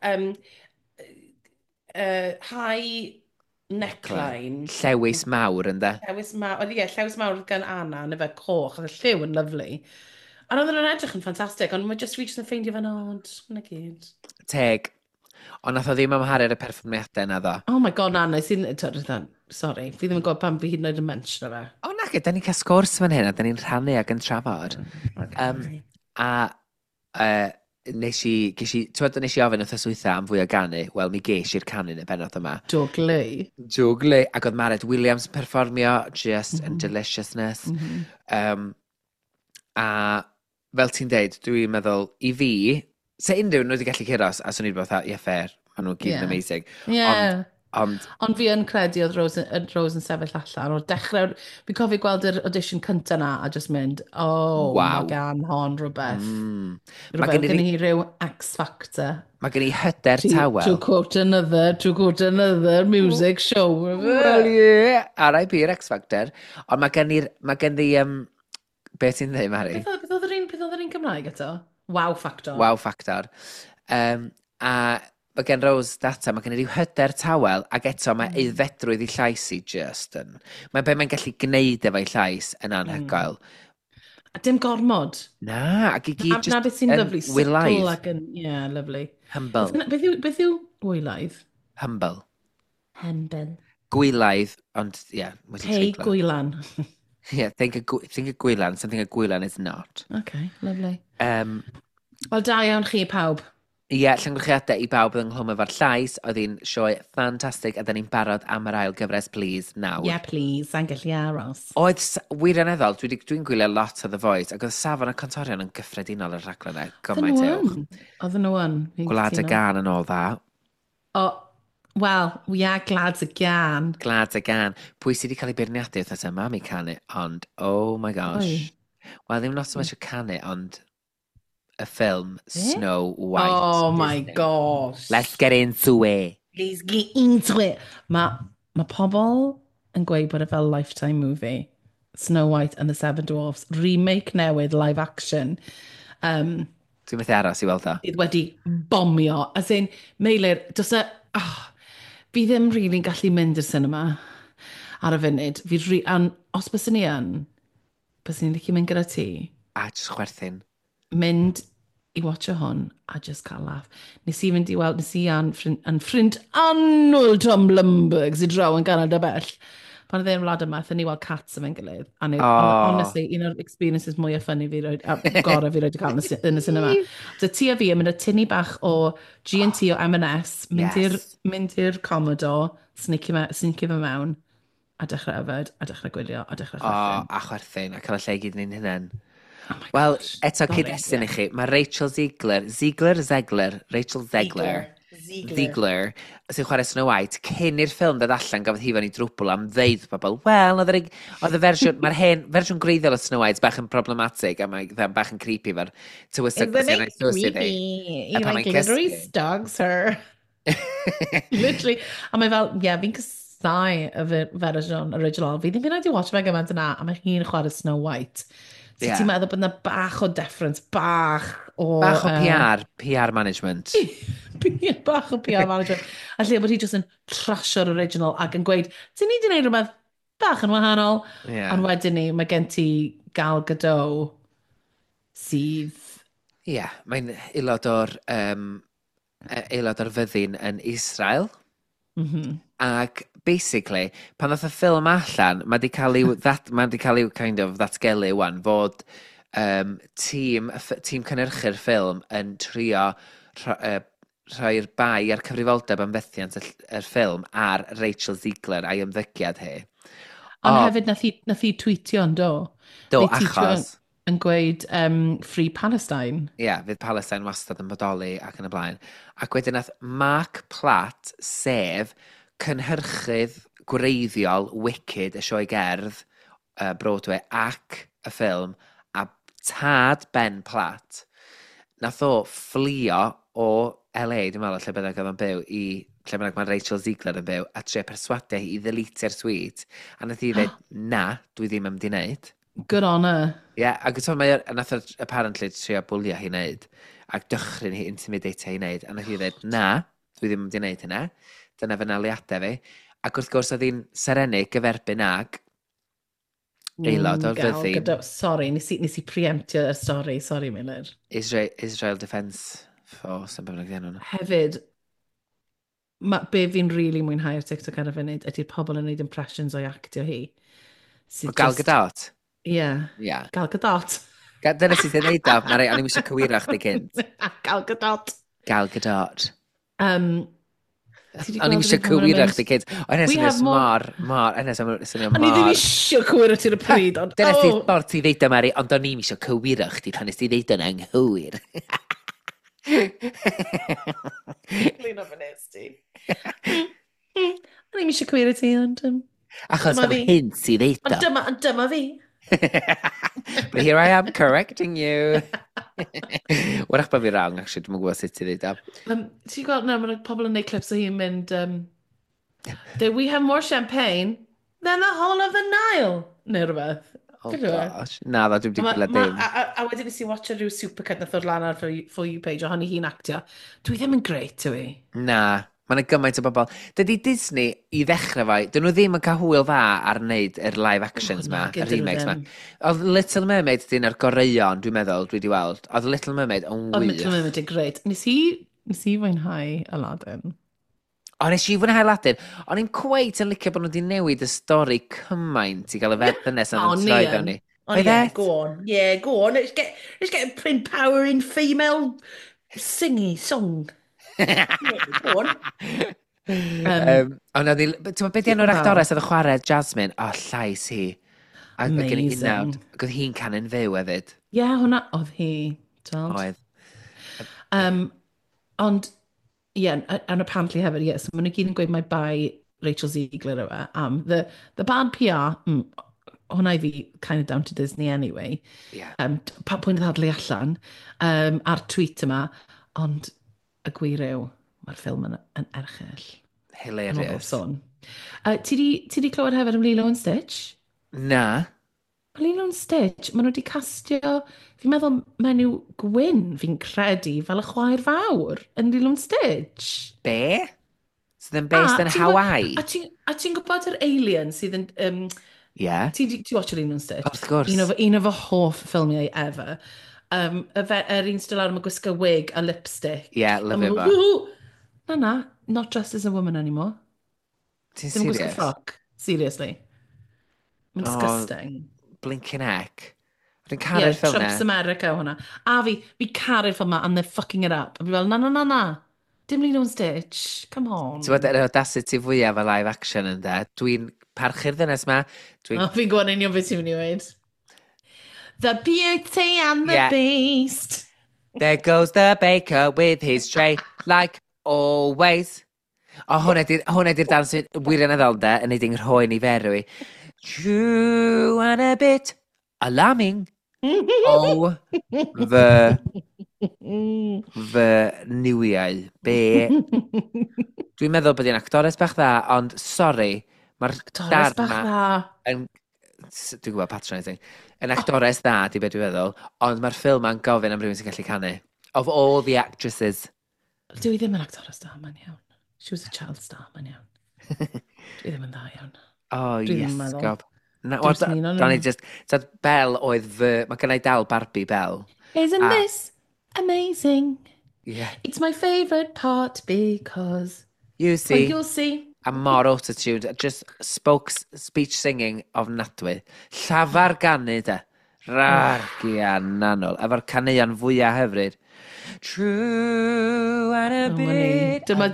high neckline. Llewis mawr, ynddo? Llewis mawr, ie, llewis mawr gan Anna, neu fe coch, oedd y lliw yn lovely. A oedden nhw'n edrych yn ffantastig, ond mae just, fi just yn ffeindio fe'n odd, na gyd. Teg. Ond nath o ddim amharu ar y perfformiadau na ddo. Oh my God, na, nes i'n... Sorry, fi ddim yn gwybod pam fi hyd yn oed yn mention o fe. O na, da ni'n cael sgwrs fan hyn a da ni'n rhannu ac yn trafod. Okay. A nes i, ges i, ti'n nes i ofyn wrth wytha am fwy o ganu? Wel, mi ges i'r canu yn y bennod yma. Dwglu. Dwglu. Ac oedd Mared Williams yn perfformio, just in deliciousness. A fel ti'n deud, dwi'n meddwl, i fi, se unrhyw nhw wedi gallu curo, a swn i'n bod fatha, ie, fair, maen nhw gyd yn amazing. Ond, Ond fi yn credu oedd Rose yn sefyll allan. O'r dechrau, fi'n cofio gweld yr audition cynta na a just mynd, oh, mae gan hon rhywbeth. Rhywbeth, gen hi rhyw X Factor. Mae gen i hyder tawel. To quote another music show. Well, yeah. R.I.P. X Factor. Ond mae gen i, beth ti'n dweud, Mari? Beth oedd yr un Cymraeg eto? Wow Factor. Wow Factor. A mae gen Rose data, mae gen i ryw hyder tawel, ac eto mae aeddfedrwydd i llais i just yn. Mae be mae'n gallu gwneud efo'i llais yn anhygoel. A dim gormod. Na, ac i gyd just na beth sy'n yn lovely. Subtle wylaidd. ac yn, yeah, lovely. Humble. Beth yw wylaidd? Humble. Humble. Gwylaidd, ond ie, yeah, wedi Pei treiglo. gwylan. Yeah, think of gwylan, something a gwylan is not. Okay, lovely. Wel, da iawn chi pawb. Ie, yeah, llongyfarchiadau i bawb oedd ynghlwm efo'r llais. Oedd hi'n sioe ffantastig a da ni'n barod am yr ail gyfres, please, nawr. Yeah, please, sa'n gallu aros. Oedd, wirioneddol, dwi gwylio lot o The Voice, ac oedd safon y cantorion yn gyffredinol yr rhaglen e, Oedden gymaint nhw uwch. yn. Oedden nhw yn. Fi'n Gwlad y cytuno. Gan yn ôl dda. O, wel, we are glad y gan. Gwlad y Gan. Pwy sydd wedi cael ei beirniadu wrth yma am ei canu, ond, oh my gosh. Pwy? Wel, ddim not so much y canu, ond y ffilm Be? Snow White. Oh my Disney. Gosh. Let's get into it. Please get into it. Mae pobl yn gweud bod e fel Lifetime movie. Snow White and the Seven Dwarfs. Remake newydd, live action. Dwi'n methu aros i weld o. Sydd wedi bomio. As in, Meilir, does e... Oh, fi ddim really'n gallu mynd i'r cinema ar y funud. Fi an, os byswn i yn, byswn i'n licio mynd gyda ti, A just chwerthin. Mynd i watcho hwn a just cael laugh. Nes i fynd i weld, nes i a'n ffrind annwyl Tom Blumberg sydd draw yn Canada bell. Pan oedd e'n wlad yma, aethon ni weld Cats efo'n gilydd. A ni, Oh. honestly, un o'r experiences mwyaf funny fi roed, a gorau fi roed i cael yn y cinema. So ti a fi yn mynd â tini bach o G&T o M&S, mynd i'r mynd i'r Commodore, sneaky fe mewn, a dechrau yfed, a dechrau gwylio, a dechrau O, chwerthin. a chwerthin, a cael y lle i gyd yn ein hunain. Oh my Wel, gosh. eto Sorry, cyd-destun ie. i chi, mae Rachel Ziegler, Ziegler, Zegler, Rachel Zegler, Ziegler. Ziegler, sy'n chwarae Snow White, cyn i'r ffilm ddod allan gafodd hi fewn i drwbl am ddeud wrth bobl, wel, oedd yr, oedd y fersiwn, mae'r hen fersiwn gwreiddiol o Snow White bach yn problematic a mae bach yn creepy fe'r tywysog Isn't it creepy? He pan like mae'n literally cysgu. stalks her. Literally. A mae fel, yeah, fi'n casau y fersiwn original. Fi ddim yn wedi watch fe gymaint yna, a mae hi'n chwarae Snow White. So Ie. ti'n meddwl bod yna bach o deference, bach o... Bach o PR, PR management. Bach o PR management. A lle bod hi jyst yn trasio'r original ac yn gweud, ti'n ni wedi gwneud rhywbeth bach yn wahanol. Yeah. Ond wedyn ni, mae gen ti Gal Gadot sydd... Ie, yeah, mae'n aelod o'r, aelod o'r fyddin yn Israel. Ac basically, pan ddoth y ffilm allan, mae di cael i'w, that, mae di cael i'w kind of ddatgelu wan fod tîm cynhyrchu'r ffilm yn trio rhoi'r bai a'r cyfrifoldeb am fethiant y ffilm ar Rachel Ziegler a'i ymddygiad hi. Ond O, hefyd nath hi tweetio yn do. Do, Neu tweetio achos, yn gweud Free Palestine. Ie, yeah, fydd Palestine wastad yn bodoli ac yn y blaen. Ac wedyn nath Mark Platt, sef cynhyrchydd gwreiddiol Wicked, y sioe gerdd, Broadway ac y ffilm, a tad Ben Platt, nath o fflio o LA, dwi'n meddwl, lle bynnag oedd o'n byw, i lle bynnag mae Rachel Ziegler yn byw, a trio perswadio hi i ddeletio'r tweet. A nath hi ddweud, "Na, dwi ddim am di wneud." Good on her. Ie, yeah, ac ti'n mae nath o apparently trio bwlio hi wneud, ac dychryn hi, intimidate hi wneud, a nath hi ddweud, "Na, dwi ddim yn mynd i wneud hynna, dyna fy naliadau fi." Ac wrth gwrs oedd hi'n serennu gyferbyn ag aelod o'r Gal fyddin. Gadot. Sorry, nes i preemptio y stori. Sorry, Miller. Israel Defence Force, yn bynnag 'di enw nhw. Hefyd, be fi'n really mwynhau ar TikTok ar y funud ydy'r pobl yn gwneud impressions o'i actio hi. O Gal Gadot? Ie. Yeah. Ie. Gal Gadot. Dyna sydd yn neud o, Mari, o'n i'm eisiau cywiro chdi cynt. Gal Gadot. Gal Gadot. Ti 'di O'n i'm gweld eisiau yr un pan ma' nhw'n cywiro mynd, chdi cynt. O, hynny "We swnio have more" mor, mor, hynny swnio O'n i ddim mor. eisiau cywiro ti'r y pryd, ond Dyna sydd oh! ffordd ti ddeud o, Mari, ond o'n i'm eisiau cywiro chdi pan nes ti ddeud o'n anghywir. Clean up yn ti. O'n i'm eisiau cywiro ti, ond Achos dyma fel fi. hyn ti ddeud Ond o. dyma fi. But here I am correcting you. Wrach bod fi wrong, actually, dwi'n gwybod sut ti ddeud o. Ti'n gweld, na, mae pobl yn gwneud clips o hi'n mynd, "Do we have more champagne than the whole of the Nile?" Neu rhywbeth. Oh Gyda fe? gosh. Na, ddo, dwi'n A wedi gwylio dim. A wedyn nes i watcha rhyw supercut nath ddod lan ar For You page ohoni hi'n actio. Dwi ddim yn great, yw i. Na, mae yna gymaint o bobl. Dydy Disney, i ddechrau fo, dyn nhw ddim yn cael hwyl dda ar wneud yr live actions Oh, ma, nag y ydyn nhw remakes ma. ddim. Oedd Little Mermaid dyn ar goreuon, dwi'n meddwl, dwi wedi weld. Oedd Little Mermaid yn Oedd Little wych. Mermaid yn great. Nes i fwynhau Aladdin. O, nes i fwynhau Aladdin. O'n i'n cweit yn licio bod nhw wedi newid y stori cymaint i gael y ddynes O, yn ni troi yn. fewn i. Oh, Oedd yeah, e? go on. Yeah, go on. Let's get empowering female singy song. Yeah, go on. Ond oedd hi. Ti'n gwybod beth di enw'r Wel. actores oedd yn chwarae Jasmine? O, llais hi. A oedd gen i Amazing. unawd. Ac oedd hi'n canu'n fyw hefyd. Ie, yeah, hwnna oedd hi. Tweld. Oedd. Ond, ie, yeah, and apparently hefyd, ie, yeah, so maen nhw gyd yn gweud mai bai Rachel Ziegler yw e am the bad PR, hwnna i fi kind of down to Disney anyway. Pa pwynt ddadlu allan ar tweet yma, ond y gwir yw, mae'r ffilm yn erchyll. Yn ôl bob Hilarious. sôn. Ti di clywed hefyd am Lilo and Stitch? Na. Lilo and Stitch, maen nhw wedi castio, fi'n meddwl menyw gwyn, fi'n credu, fel y chwaer fawr yn Lilo and Stitch. Be? Sydd yn based A yn ti'n gwbod- Hawaii? A ti'n gwybod yr alien sydd yn... Ti watch Lilo and Stitch? Wrth gwrs. Un o fy hoff ffilmiau ever. Yr un sydd lawr, mae gwisgo wig a lipstick. Ie, A lyfio ma' fo. nhw, "Woo!" Na, na, not dressed as a woman anymore. Ti'n Ddim yn gwisgo serious? ffroc. Seriously. Mae'n Oh, disgusting. Blinking heck. Dwi'n Yeah, caru'r ffilm Trump's na. America hwnna. A fi caru'r ffilm ma, and they're fucking it up. A fi fel, na, na, na, na. Dim Lilo and Stitch. Come on. Ti'n gwybod, yr audacity fwyaf o live action yn de. Dwi'n parchu'r ddynes ma. Dwi'n Oh, fi'n gwybod yn union beth ti'n mynd i weud. The Beauty and the Yeah. Beast. There goes the baker with his tray, like Always. O, hwnna di'r dans sy'n wirioneddol de, yn neud i'n rhoi ni ferwi. True and a bit alarming. O, fy niwiau. Be? Dwi'n meddwl bod hi'n actores bach dda, ond sori, mae'r Actores bach dda. Yn, dwi'n gwybod patronising. Yn actores dda, di beth dwi'n feddwl, ond mae'r ffilm ma'n gofyn am rhywun sy'n gallu canu. Of all the actresses. Dwi ddim yn actores da, mae'n iawn. She was a child star, mae'n iawn. Dwi ddim yn dda iawn. Oh, yes, gob. Na, well, da ni just... Tad Belle oedd fy... Mae gennau dal Barbie Belle. Isn't this amazing? Yeah. It's my favourite part because... You see. Well, you'll see. A mor autotuned. Just spoke speech singing ofnadwy. Llafar ganu, de. Rargiananol. Efo'r caneuon fwyaf hyfryd. True and a bit Dyma,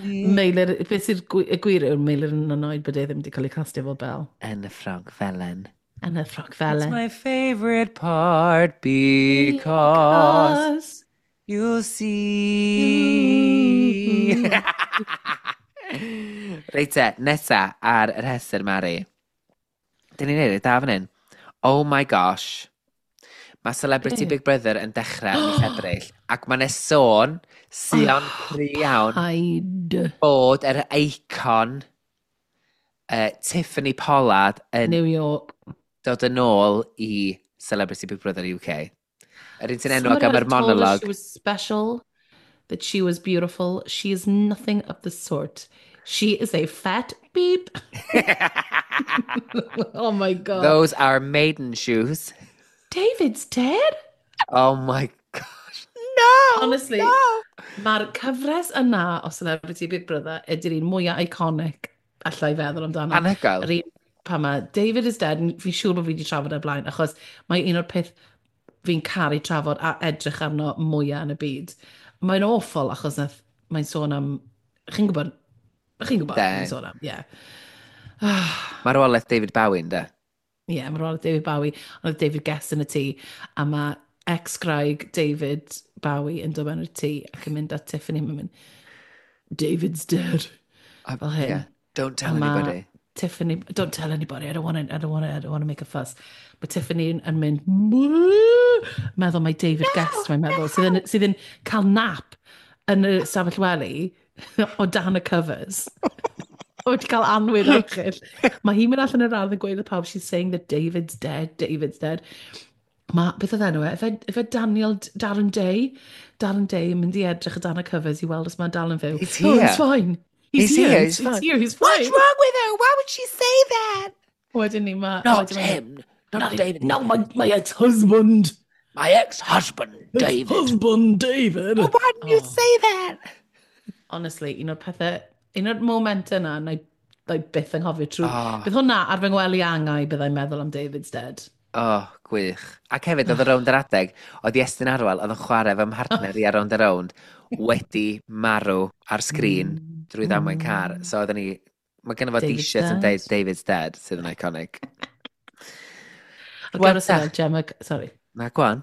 Meilir, beth sy'n y gwir yw'r Meilir yn annoyed bod e ddim wedi cael ei castio fel Belle. Yn y ffrog felen. Yn y ffrog felen. It's my favourite part because you'll see. Reit te, nesa ar yr rhestr, Mari. Dyn ni'n neud e da fan hyn. Oh my gosh. Mae Celebrity Big Brother yn dechrau yn mis Ebrill, ac mae'n sôn, sion cry iawn, bod yr eicon Tiffany Pollard yn New York dod yn ôl i Celebrity Big Brother UK. Yr un sy'n enwog am yr monolog. She was special, that she was beautiful. She is nothing of the sort. She is a fat beep. Oh my God. Those are maiden shoes. David's dead? Oh my gosh. No! Honestly, no. Mae'r cyfres yna o Celebrity Big Brother ydy'r un mwyaf iconic allai feddwl amdano. Anhygoel. Yr un pan mae David is dead, fi'n siŵr bod fi wedi trafod e blaen, achos mae un o'r peth fi'n caru trafod a edrych arno mwyaf yn y byd. Mae'n awful achos mae'n sôn am... Chi'n gwybod? Chi'n gwybod mae'n sôn am, ie. Marwolaeth David Bowie, ynddo? Ie, yeah, marwolaeth David Bowie. Ond oedd David Guest yn y tŷ, a mae ex-graig David Bowie yn dod mewn i'r tŷ ac yn mynd at Tiffany, mae'n mynd, David's dead. Fel hyn. Yeah. Don't tell anybody. Tiffany, don't tell anybody, I don't want to make a fuss. Mae Tiffany yn mynd, meddwl mae David Guest, mae'n meddwl, sydd yn cael nap yn y stafell wely o dan y covers. Wedi cael anwyd erchyll. Mae hi'n mynd allan yr ardd yn gweud wrth pawb, she's saying that David's dead, David's dead. Mae, beth oedd enw e? Efe Daniel, Darren Day? Darren Day yn mynd i edrych o dan y covers i weld os mae'n dal yn fyw. He's here. Oh, he's fine. He's here. He's fine. He's here. He's fine. What's wrong with her? Why would she say that? Wedyn ni, mae... Not him. Not David. No, my ex-husband. My ex-husband, David. Ex-husband, David. Oh, why didn't you say that? Honestly, un o'r pethau... Un o'r moment yna, na i byth anghofio trwy... Oh. Bydd hwnna ar fy ngwely angau byddai'n meddwl am David's dead. Oh, gwych. Ac hefyd, oedd y rownd yr adeg, oedd Iestyn Arwel, oedd yn chwarae fy mhartner i ar rownd y rownd, wedi marw ar sgrin drwy ddamwain car. So oedden ni... Mae gennym fo t-shirt yn deud David's dead, sydd yn iconic. Ac gyda sy'n Gemma... Sorry. Na, go on.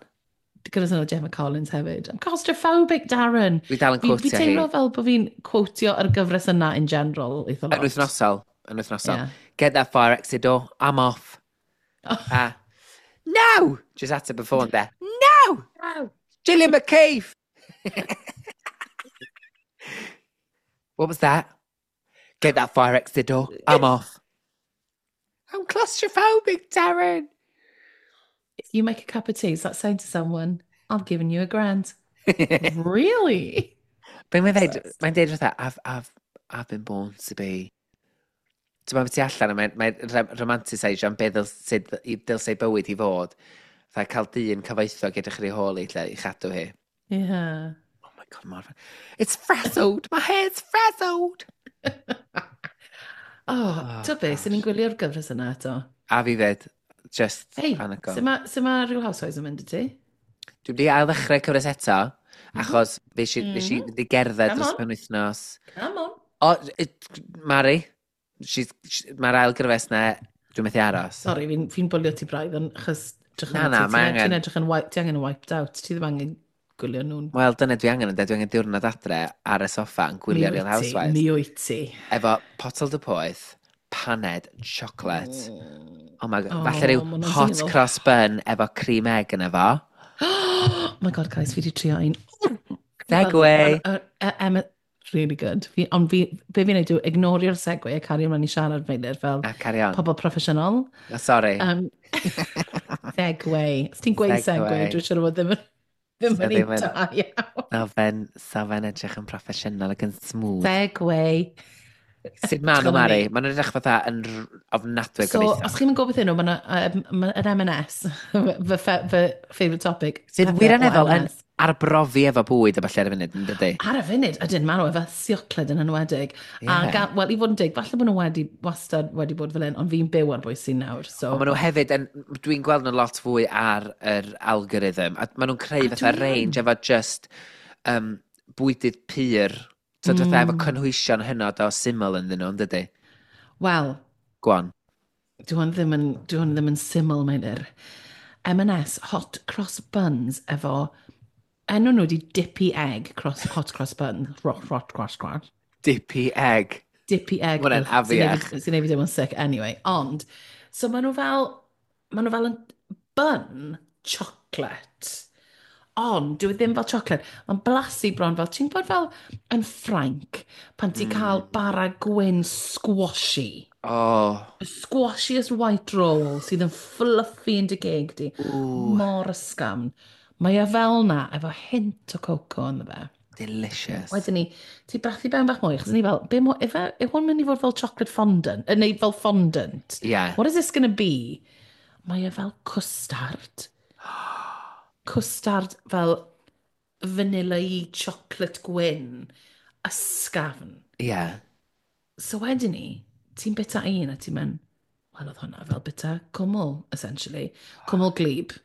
Gyda sy'n Gemma Collins hefyd. I'm claustrophobic, Darren. Dwi dal yn quotio hi. Fi teimlo fel bod fi'n quotio ar gyfres yna in general. Yn wythnosol. Yn wythnosol. Yeah. Get that fire exit door. I'm off. Oh. No! Just ateb y ffôn there. No! No! Gillian McKeith! What was that? Get that fire exit door. I'm off. I'm claustrophobic, Darren. If you make a cup of tea, is that saying to someone, I've given you a grand? Really? Be mae'n dweud, mae'n dweud fatha, I've been born to be. Ti'n meddwl ti allan, mae'n mae romantiseisio am beth dylse ei bywyd i fod. Fatha cael dyn cyfoethog edrych ar ei hôl i lle i chadw hi. Yeah. Oh my God, mor... It's frazzled! My hair's frazzled! Oh, ti'n beth, sy'n ni'n gwylio'r gyfres yna eto? A fi fyd, just hey, anhygoel. Sut mae Real Housewives yn mynd i ti? Dwi wedi ail ddechrau cyfres eto, achos fe si fynd i gerdded dros penwythnos. Come on. O, Mari, mae'r ail gyfres na, dwi'n methu aros. Sorry, fi'n bwlio ti braidd, achos Na, mae angen. Ti'n edrych yn, ti angen wiped out, ti ddim angen gwylio nhw'n. Wel, dyna dwi angen yn dweud, dwi angen diwrnod adre ar y soffa yn Mi gwylio Real wyt ti, Housewives. mi wyt ti. Efo potel dy poeth, paned, chocolate. Oh my God. Oh, Falle rhyw ma' hwnna'n hot swnio fel- cross bun efo cream egg yn efo. Oh my God, guys, fi di trio un. Segway. Emma, really good. Fi, ond fi, be fi'n neud yw ignorio'r segue a cario ymlaen i siarad Meilir fel A carry on. pobl proffesiynol. Oh, sorry. Segue. Os ti'n gweud segue, Segue. dwi'n siŵr o fod ddim yn ddim So yn ddim un yn- da iawn. So fe'n so fe'n edrych yn proffesiynol ac yn smooth. Segue. Sut maen nhw, Edrych arno Mari? ni. Maen nhw'n edrych fatha yn ofnadwy So, gobeithio. os chi'n gwybod beth nhw, mae'n ma yr M&S, fy favourite topic. Sydd pethau o wirioneddol yn M&S. arbrofi efo bwyd a falle ar y funud, yn dydy? Ar y funud, ydyn, maen nhw efo siocled yn enwedig. A Ie. wel, i fod yn deg, falle bod nhw wedi, wastad wedi bod fel un, ond fi'n byw ar bwys sy'n nawr, so. Ond maen nhw hefyd, yn, dwi'n gweld nhw lot fwy ar yr algorithm, a maen nhw'n creu A fatha dwi yn. range efo just bwydydd pur, so fatha efo cynhwysion hynod o syml ynddyn nhw, yn dydy? Wel, Go on. dwi hwn ddim yn syml, Meilir. M&S Hot Cross Buns efo, enw nhw di Dippy Egg cross, Hot Cross Bun. Rot, rot, cross, cross. Dippy egg. Dippy Egg. Ma' hwnna'n Ugh, sy'n neud afiach. Sy'n neud fi deimlo'n sick anyway. Ond, so maen nhw fel yn bun chocolate. Ond, dyw e ddim fel chocolate. Mae'n blasu bron fel, ti'n gwybod fel yn Ffrainc, pan ti'n cael bara gwyn squashy. Oh, Y squashiest white roll sydd yn fluffy yn dy geg di. Ooh. Mor ysgafn. Mae e fel na, efo hint o cocoa ynddo fe. Delicious. Wedyn ni, ti brathu ben bach mwy, achos ni fel, be mo, ife, yw hwn mynd i fod fel chocolate fondant, neu fel fondant? Yeah. What is this going to be? Mae e fel cwstard. Cwstard fel vanilla-y chocolate gwyn, ysgafn. So wedyn ni, ti'n bita un a ti'n mynd, wel oedd hwnna fel bita cwmwl, essentially. Cwmwl glib.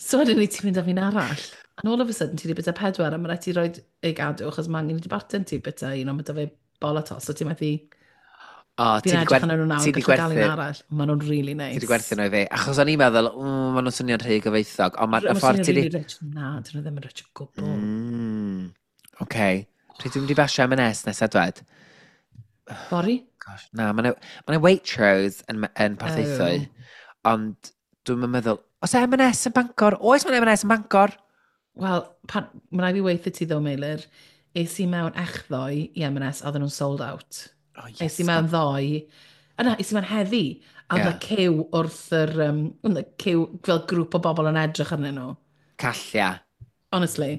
So wedyn ni, ti'n mynd â fi'n arall. And all of a sudden, ti wedi bita pedwar, a mae rhaid ti roed ei gadw, achos mae angen i dy bartner ti bita un, ond mae da fe bol a tos, so ti'n methu. O, ti Fi'n 'di edrych arnyn nhw nawr, ti 'di gallu gael un gwerthu arall. Maen nhw'n really nice. Ti 'di gwerthu nhw i fi. Achos o'n i'n meddwl, maen nhw'n swnio'n rhy gyfoethog, ond mae'r Ma'n ffordd swnio'n ti 'di. really rich. Na, dyn nhw ddim yn rich o gwbl. Oce. Pryd dwi'n mynd i basio M&S nesaf dwed? Fory? Gosh, na, mae yna Waitrose yn Porthaethwy, ond dwi'n meddwl, oes M&S yn Bangor? Oes mae'n M&S yn Bangor? Wel, mae'n rhaid fi weithio ti ddo, Meilir. Es i mewn echddoe i M&S, a oedden nhw'n sold out. Oh, Es i mewn ddoe, a na, es i mewn heddi, a oedd Ie. yeah. cyw wrth yr, oedd y cyw fel grŵp o bobl yn edrych arnyn nhw. Callia. Honestly.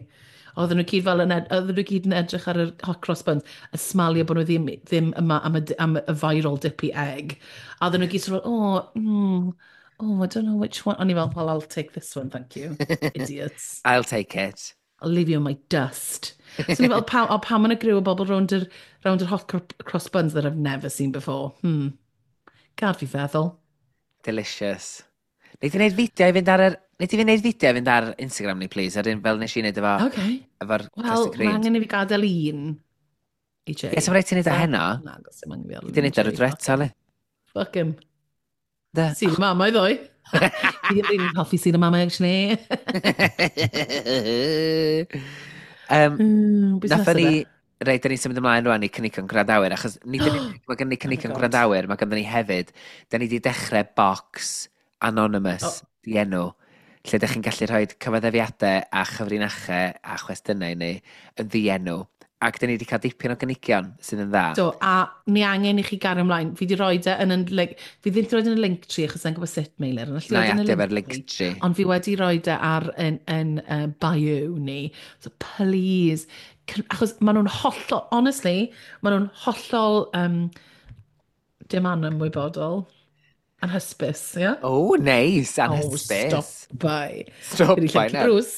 Oedden nhw gyd fel yn, oedden nhw gyd yn edrych ar yr hot cross buns, a smalio bod nhw ddim yma am y viral dippy egg. A oedden nhw gyd sort of, oh, oh, I don't know which one. O'n i fel, "Well, I'll take this one, thank you. Idiots." I'll take it. I'll leave you in my dust. So ni fel, pam, oh, pam yn y griw o bobl rownd yr hot cross buns that I've never seen before? Gad fi feddwl. Delicious. Nei di wneud fideo i fynd ar yr... Nei di wneud fideo i fynd ar Instagram ni, please? Ar un fel nes i wneud efo Okay. efo'r Wel, custard mae creams. angen i fi gadael un i Jay. Ie, so ma' raid ti wneud o heno. Na, gos dim angen i fi Ti 'di wneud ar y dwetha, le. Fuck him. Da. Sul y mamau ddoe. Fi ddim rili'n hoffi Sul y mamau, actually. Beth Nathon nesaf ni. de? Reit, da ni'n symud ymlaen rwan i cynigion gwrandawyr, achos nid yn unig mae gen ni cynigion Oh God. gwrandawyr, mae ganddo ni hefyd, da ni wedi dechrau box anonymous, dienw, lle ydych chi'n gallu rhoi cyfaddefiadau a chyfrinachau a chwestiynau i ni yn ddienw. Ac da ni wedi cael dipyn o gynigion sydd yn dda. Do, a ni angen i chi gario ymlaen. Fi wedi rhoi e yn, like, fi ddim wedi rhoi e yn y link tree achos sa'n gwybod sut, Meilir. Ond allu Na i roid e yn y adio fe'r link link tree. tree. Ond fi wedi rhoi e ar yn bio ni. So please, achos maen nhw'n hollol, honestly, maen nhw'n hollol dim anymwybodol. Anhysbys, ie? Yeah? Oh, nice, Oh, anhysbys. stop by. Stop Wedi by llyncu now. Bruce.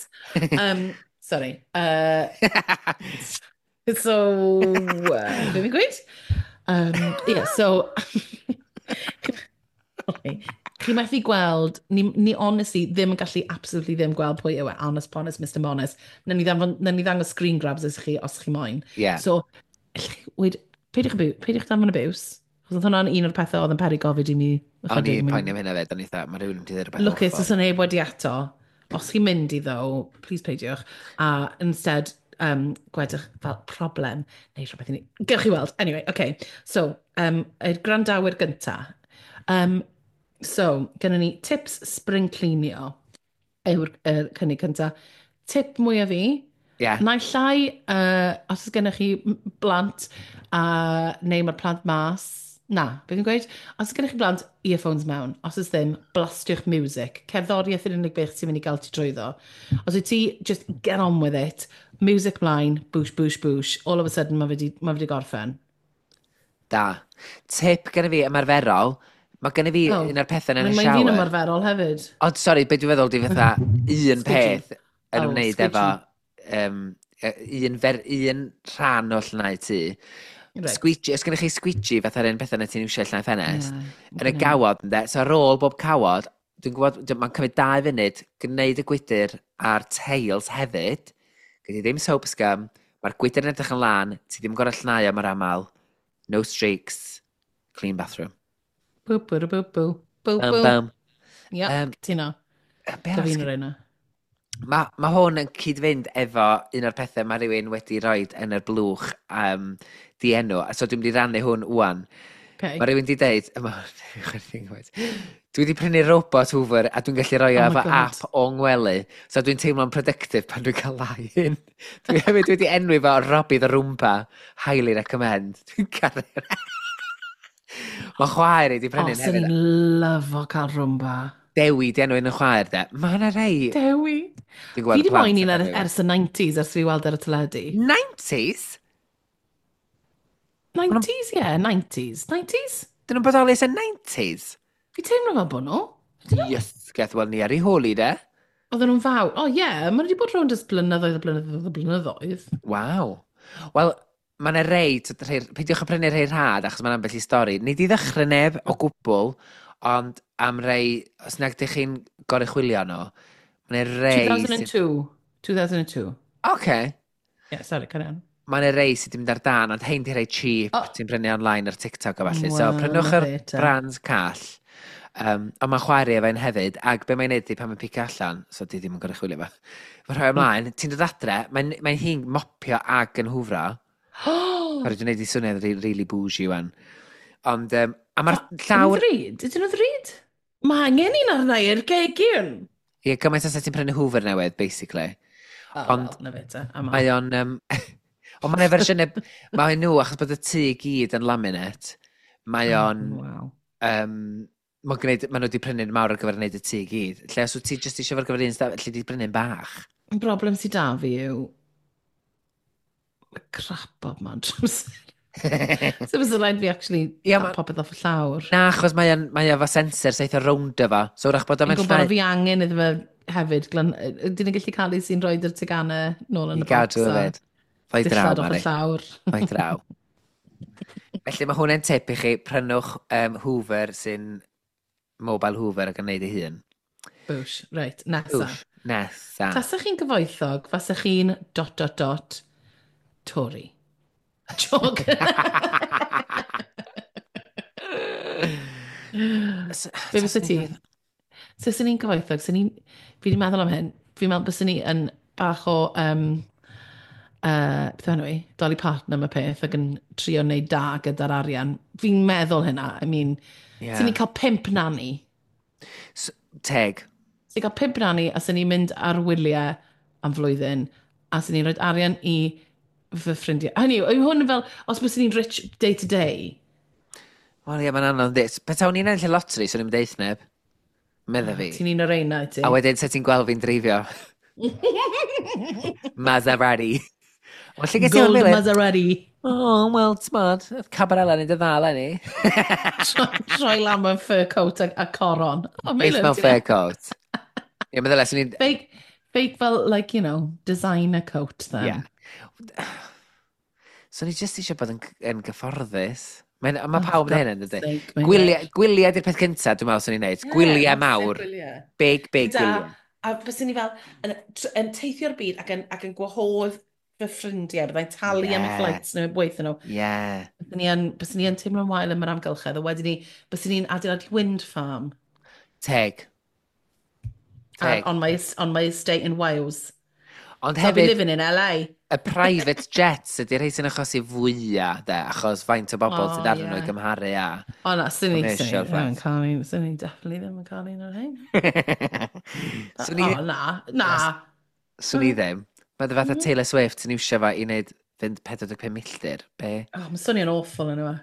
Sorry. So, be fi'n gweud? Yeah, so, okay. Chi methu gweld, ni honestly ddim yn gallu absolutely ddim gweld pwy yw e, honest ponest, Mr Monis. Nawn ni ddangos screen grabs i chi os chi moyn. Yeah. So, allwch chi weud, peidiwch danfon abuse. Achos oedd hwnna'n un o'r pethau oedd yn peri gofid i mi. O'n i'n poeni am hynna fed, o'n i dda, mae rhywun yn mynd i ddweud rhywbeth Lwcus, os yna neb wedi ato. Os chi'n mynd i ddo, please peidiwch. A instead, gwedwch fel problem, neu rhywbeth i ni. Gewch chi weld. Anyway, okay. So, yr gwrandawyr gynta. So, gennym ni tips spring cleanio yw'r cynnig cynta. Tip mwyaf fi, naill ai, os oes gennych chi blant, neu mae'r plant mas, na, beth fi'n gweud? Os oes gennych chi blant, earphones mewn. Os oes ddim, blastiwch music. Cerddoriaeth yw'r unig beth sy'n mynd i gael ti drwyddo. Os wyt ti, just get on with it. Music mlaen, boosh, boosh, boosh. All of a sudden, mae fe di gorffen. Da. Tip gen i fi ymarferol, mae gen i fi un o'r pethau yn y Mae'n shower. fi'n ymarferol hefyd. Ond sori, beth dwi'n feddwl di fatha un peth yn ymwneud efo un rhan o llnau tŷ. Right. Squeegee, os gennych chi squeegee fatha'r un pethau na ti'n iwsio llnau ffenest, yn y Yeah. gawod, ynde? So ar ôl bob cawod, dwi'n gwybod, mae'n cymryd 2 funud gwneud y gwydr a'r teils hefyd. Gyd i ddim soap scum, mae'r gwydr yn edrych yn lân, ti ddim yn gorau llnau am yr aml. No streaks, clean bathroom. Bw, bw, bw, bw. Bw, Bam, bw. bam. Yep, cytuno. Be Da arall fi'n sgen- yr un. Mae hwn yn cyd-fynd efo un o'r pethau mae rhywun wedi rhoi yn yr blwch dienw. So dwi'n mynd i rannu hwn wan. Okay. Mae rhywun wedi deud, dwi wedi prynu robot Hoover a dwi'n gallu rhoi o Oh my efo God. app o'n ngwely. So dwi'n teimlo'n productive pan dwi'n cael lai hyn. Dwi hefyd wedi enwi fo Robbie the Roomba. Highly recommend. Dwi'n caru. Mae chwaer i wedi O, prynu swn hefyd. i'n lyfo cael Roomba. Dewi di enw un yn chwaer de. Mae yna rei... Dewi. Dwi'n gweld Fi di y plant moyn yn un enwi fo. ers y 90s, ers fi weld ar y teledu. 90s? 90s, ie, yeah, 90s. 90s? Dyn nhw'n bodoli ers y 90s? Fi teimlo fel bod nhw. Yes, geth wel ni ar ei holi de. Oedden nhw'n fawr. O, ie, yeah, maen nhw wedi bod rownd ers blynyddoedd a blynyddoedd a blynyddoedd. Waw. Wel, mae yna rei, peidiwch â prynu rhai rhad, achos mae'n ambell i stori. Nid i ddechrau neb o gwbl, ond am rei, os nag ydych chi'n goruchwylio nhw, mae yna rei... 2002. 2002. Oce. Yeah, sorry, carry on. Mae yna rei sydd wedi mynd ar dan, ond hein di rei cheap, ti'n prynu online ar TikTok a falle. So, Wel, prynwch na yr fe te. brands call. Ond mae'n chwarae efo un hefyd, ac be mae'n neud di pan mae'n picio allan, so di ddim yn goruchwylio fo. Mae'n rhoi ymlaen, ti'n dod adre, mae'n hi'n mopio ag yn hwfro. Sorry, dwi'n neud i swnio'n really bougie wan. Ond, a mae'r llawr... Ydyn nhw'n ddrud? Ydyn nhw'n ddrud? Mae angen un arna i'r gegin. Ie, gymaint os ti'n prynu Hoover newydd, basically. Oh, Ond well, na fe te. I'm Mae out. o'n... Ond mae'n fersiynau... Mae nhw, achos bod y tŷ i gyd yn laminate, mae o'n... Wow. Mae'n gwneud, maen nhw wedi prynu'n mawr ar gyfer gwneud y tŷ i gyd. Lle os wyt ti jyst eisiau ar gyfer un stafell, lle di prynu'n bach. Y broblem sydd da fi yw... Mae crap bob man trwy amser. So fysa rhaid fi actually Ie, cael ma- popeth off y llawr. Na, achos mae o'n mae efo sensor sy'n eitha rownd efo. So wrach bod o'n Fi'n mynd gwybod llai fi angen iddo fe hefyd. Glan, ydyn ni'n gallu cael ei sy'n rhoi yr teganau nôl yn i y box gadw a hefyd. Fai draw, dillad off y Mari. llawr. Fai draw. Felly mae hwnna'n tip i chi, prynwch Hoover sy'n mobile Hoover ac yn neud ei hun. Bwsh, reit, nesa. Wsh, nesa. Tasach chi'n gyfoethog, fasach chi'n dot dot dot Tory. Jog. Be fysa ti? So, swn i'n gyfoethog, swn i'n... Fi wedi meddwl am hyn. Fi'n meddwl byswn i yn bach o... Beth yw enw i? Dolly Parton am y peth ac yn trio wneud da gyda'r arian. Fi'n meddwl hynna. I mean, Yeah. swn i'n cael 5 nanny. Teg. Swn i'n cael 5 nanny a swn i'n mynd ar wyliau am flwyddyn a swn i'n rhoi arian i fy ffrindiau. Hynny yw, yw hwn fel, os byswn i'n rich day to day, Wel ie, mae'n anodd yndi. Petawn i'n ennill y lottery, swn i'n deud neb. Medda fi. ti'n un o'r reina, ti? A wedyn, se ti'n gweld fi'n dreifio? Maserati. Wel, lle ges i hwn, Gold Melin? Maserati. Oh, well, t'mod, oedd Cabarella yn dda eleni. Troi lan mewn fur coat a coron. Oh, Beth Melin, mewn ti'n- fur coat. Ie, meddwl, swn i'n... Fake fel, like, you know, designer coat then. Ie. Swn i jyst eisiau bod yn gyfforddus. Mae ma Oh, pawb yn for hyn yn dydy. God's sake, mae'n Gwyliau, gwyliau di'r peth cyntaf, dwi'n meddwl swn i'n neud. Ie, Gwyliau massive mawr. Gwyliau. Big, big Gyda- gwyliau. A fyswn ni fel yn teithio'r byd ac yn gwahodd fy ffrindiau, byddai'n talu am y flights nhw, weithio nhw. Byddwn ni yn, byddwn ni yn teimlo'n wael am yr amgylchedd, a wedyn ni, byddwn ni'n adeiladu wind farm. Teg. Teg. On my estate in Wales. Ond So I'll be hefyd, living in LA. Y private jets ydy'r rhai sy'n achosi fwyaf, de, achos faint o bobl sydd arnyn nhw i gymharu â O na, sy'n ni, sy'n ni commercial ddim yn flights. cael un, sy'n ni definitely ddim yn cael un o'r rhain. Swn i, O na, na. Swn i ddim. Mae dy fatha Taylor Swift sy'n iwsio fo i wneud fynd 45 milltir. Be? Oh, mae'n swnio'n awful yn yma.